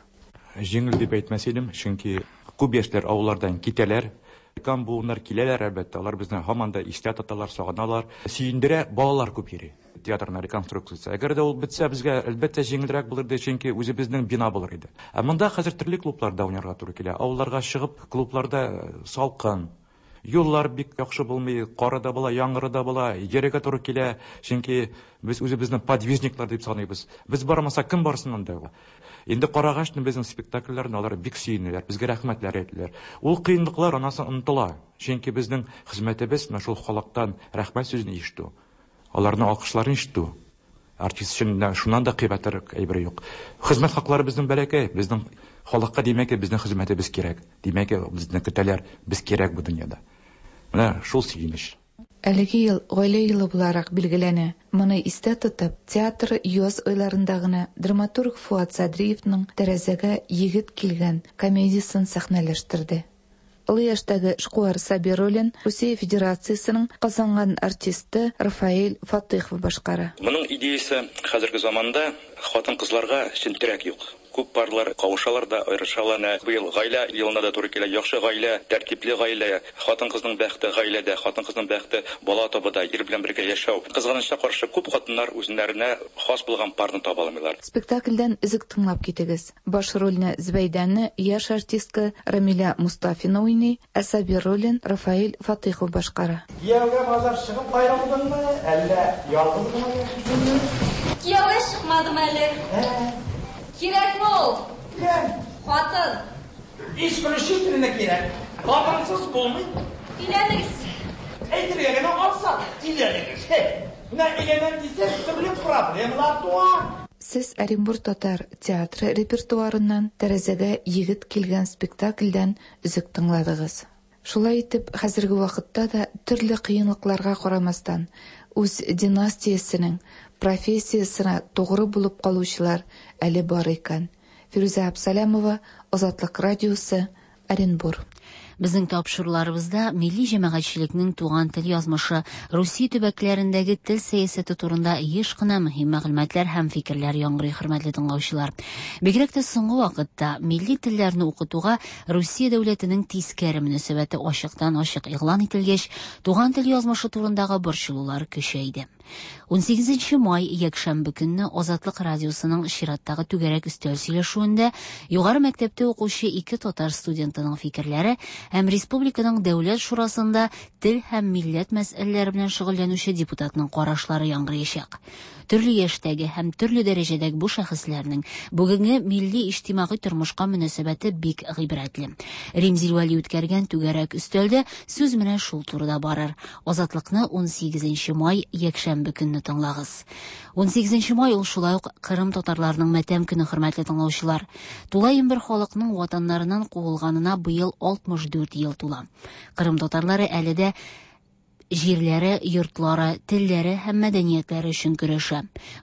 Җиңел дип әйтмәс идем, чөнки күп яшьләр авыллардан китәләр. Өлкән буыннар киләләр, әлбәттә, алар безне һаман да истә тоталар, сагыналар. Сөендерә, балалар күп йөри. Театрның реконструкциясе. Әгәр дә ул бетсә, безгә әлбәттә җиңелрәк булыр иде, чөнки үзебезнең бина булыр иде. Ә монда хәзер төрле клубларда уйнарга туры килә. Авылларга чыгып, клубларда салкын, юллар бик яхшы булмый, кары да була, яңгыры да була, йөрергә туры килә, чөнки без үзебезне подвижниклар дип саныйбыз. Без бармасак, кем барсын анда? Инде карагач, безнең спектакльләрне алар бик сөенәләр, безгә рәхмәтләр әйтәләр. Ул кыенлыклар анасы онытыла, чөнки безнең хезмәтебез менә шул халыктан рәхмәт сүзен ишетү, аларның алкышларын ишетү. Артист өчен шуннан да кыйбатрак әйбер юк. Хезмәт хаклары безнең бәләкәй, безнең халыкка, димәк, безнең хезмәтебез кирәк. Димәк, безне көтәләр, без кирәк бу дөньяда. Менә шул сөенеч. Әлеге ел гаилә елы буларак билгеләнә. Моны истә тотып, театр яз айларында гына драматург Фуат Садриевның Тәрәзәгә егет килгән комедиясен сәхнәләштерде. Олы яшьтәге эшкуар Сабир ролен Русия Федерациясенең казанган артисты Рафаэль Фатыйхов башкара. Моның идеясы хәзерге заманда хатын-кызларга чын терәк юк. Күп парлар кавышалар да, аерышалар. Быел гаилә елына да туры килә. Яхшы гаилә, тәртипле гаилә, хатын-кызның бәхте гаиләдә, хатын-кызның бәхте бала табуда, ир белән бергә яшәү. Кызганычка каршы, күп хатыннар үзләренә хас булган парны таба алмыйлар. Спектакльдән өзек тыңлап китегез. Баш рольне Зөбәйдәне яшь артистка Рамилә Мустафина уйный, ә Сабир ролен Рафаэль Фатыйхов башкара. Кияүгә базар чыгып аерылдыңмы, әллә ялгыз гына яшисеңме? Кияүгә чыкмадым әле. Кирәкме ул? Кем? Хатын. Исключительно кирәк. Хатынсыз булмый. Өйләнегез. Әйтергә генә ансат, өйләнегез. Менә өйләнәм дисәң, төрле проблемалар туа. Сез Оренбур татар театры репертуарыннан Тәрәзәгә егет килгән спектакльдән өзек тыңладыгыз. Шулай итеп, хәзерге вакытта да төрле кыенлыкларга карамастан, үз династиясенең профессиясенә тугры булып калучылар әле бар икән. Фирүзә Абсалямова, Азатлык радиосы, Оренбур. Безнең тапшыруларыбызда милли җәмәгатьчелекнең туган тел язмышы, Русия төбәкләрендәге тел сәясәте турында еш кына мөһим мәгълүматлар һәм фикерләр яңгырый, хөрмәтле тыңлаучылар. Бигрәк тә соңгы вакытта милли телләрне укытуга Русия дәүләтенең тискәре мөнәсәбәте ачыктан-ачык игълан ителгәч, туган тел язмышы турындагы борчылулар көчәйде. Унсигезенче май якшәмбе көнне Азатлык радиосының чираттагы түгәрәк өстәл сөйләшүендә югары мәктәптә укучы ике татар студентының фикерләре һәм республиканың дәүләт шурасында тел һәм милләт мәсьәләләре белән шөгыльләнүче депутатның карашлары яңгыраячак. Төрле яшьтәге һәм төрле дәрәҗәдәге бу шәхесләрнең бүгенге милли иҗтимагый тормышка мөнәсәбәте бик гыйбрәтле. Римзил Вәли үткәргән түгәрәк өстәлдә сүз менә шул турыда барыр. Азатлыкны унсигезенче май якшәмбе көнне тыңлагыз. Унсигезенче май ул шулай ук Кырым татарларының матәм көне, хөрмәтле тыңлаучылар. Тулаем бер халыкның ватаннарыннан куылганына быел алтмыш дүрт ел тула. Кырым татарлары әле дә җирләре, йортлары, телләре һәм мәдәниятләре өчен көрәшә.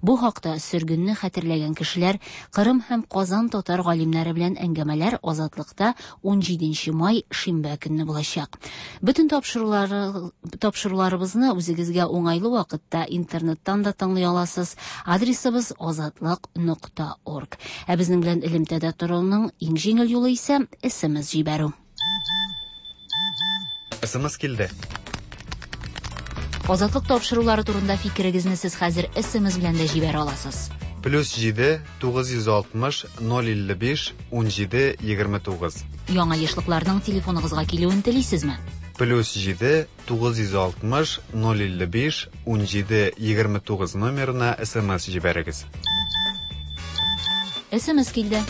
Бу хакта сөргенне хәтерләгән кешеләр Кырым һәм Казан татар галимнәре белән әңгәмәләр Азатлыкта унҗиденче май шимбә көнне булачак. Бөтен тапшырулары, тапшыруларыбызны үзегезгә уңайлы вакытта интернеттан да тыңлый аласыз. Адресыбыз азатлык нокта орг. Ә безнең белән элемтәдә торуның иң җиңел юлы исә эс эм эс җибәрү. эс эм эс килде. Азатлык тапшырулары турында фикерегезне сез хәзер эс эм эс белән дә җибәрә аласыз. Плюс җиде, тугыз йөз алтмыш, ноль илле биш, ун җиде, егерме тугыз. Яңа ешлыкларның телефоныгызга килүен телисезме? Плюс җиде, тугыз йөз алтмыш, ноль илле биш, ун җиде, егерме тугыз номерына эс эм эс җибәрегез. эс эм эс килде.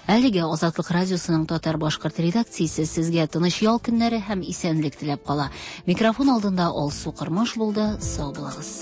Әлегә Азатлык радиосының татар-башкорт редакциясе сезгә тыныч ял көннәре һәм исәнлек теләп кала. Микрофон алдында Алсу Кырмыш булды. Сау булыгыз.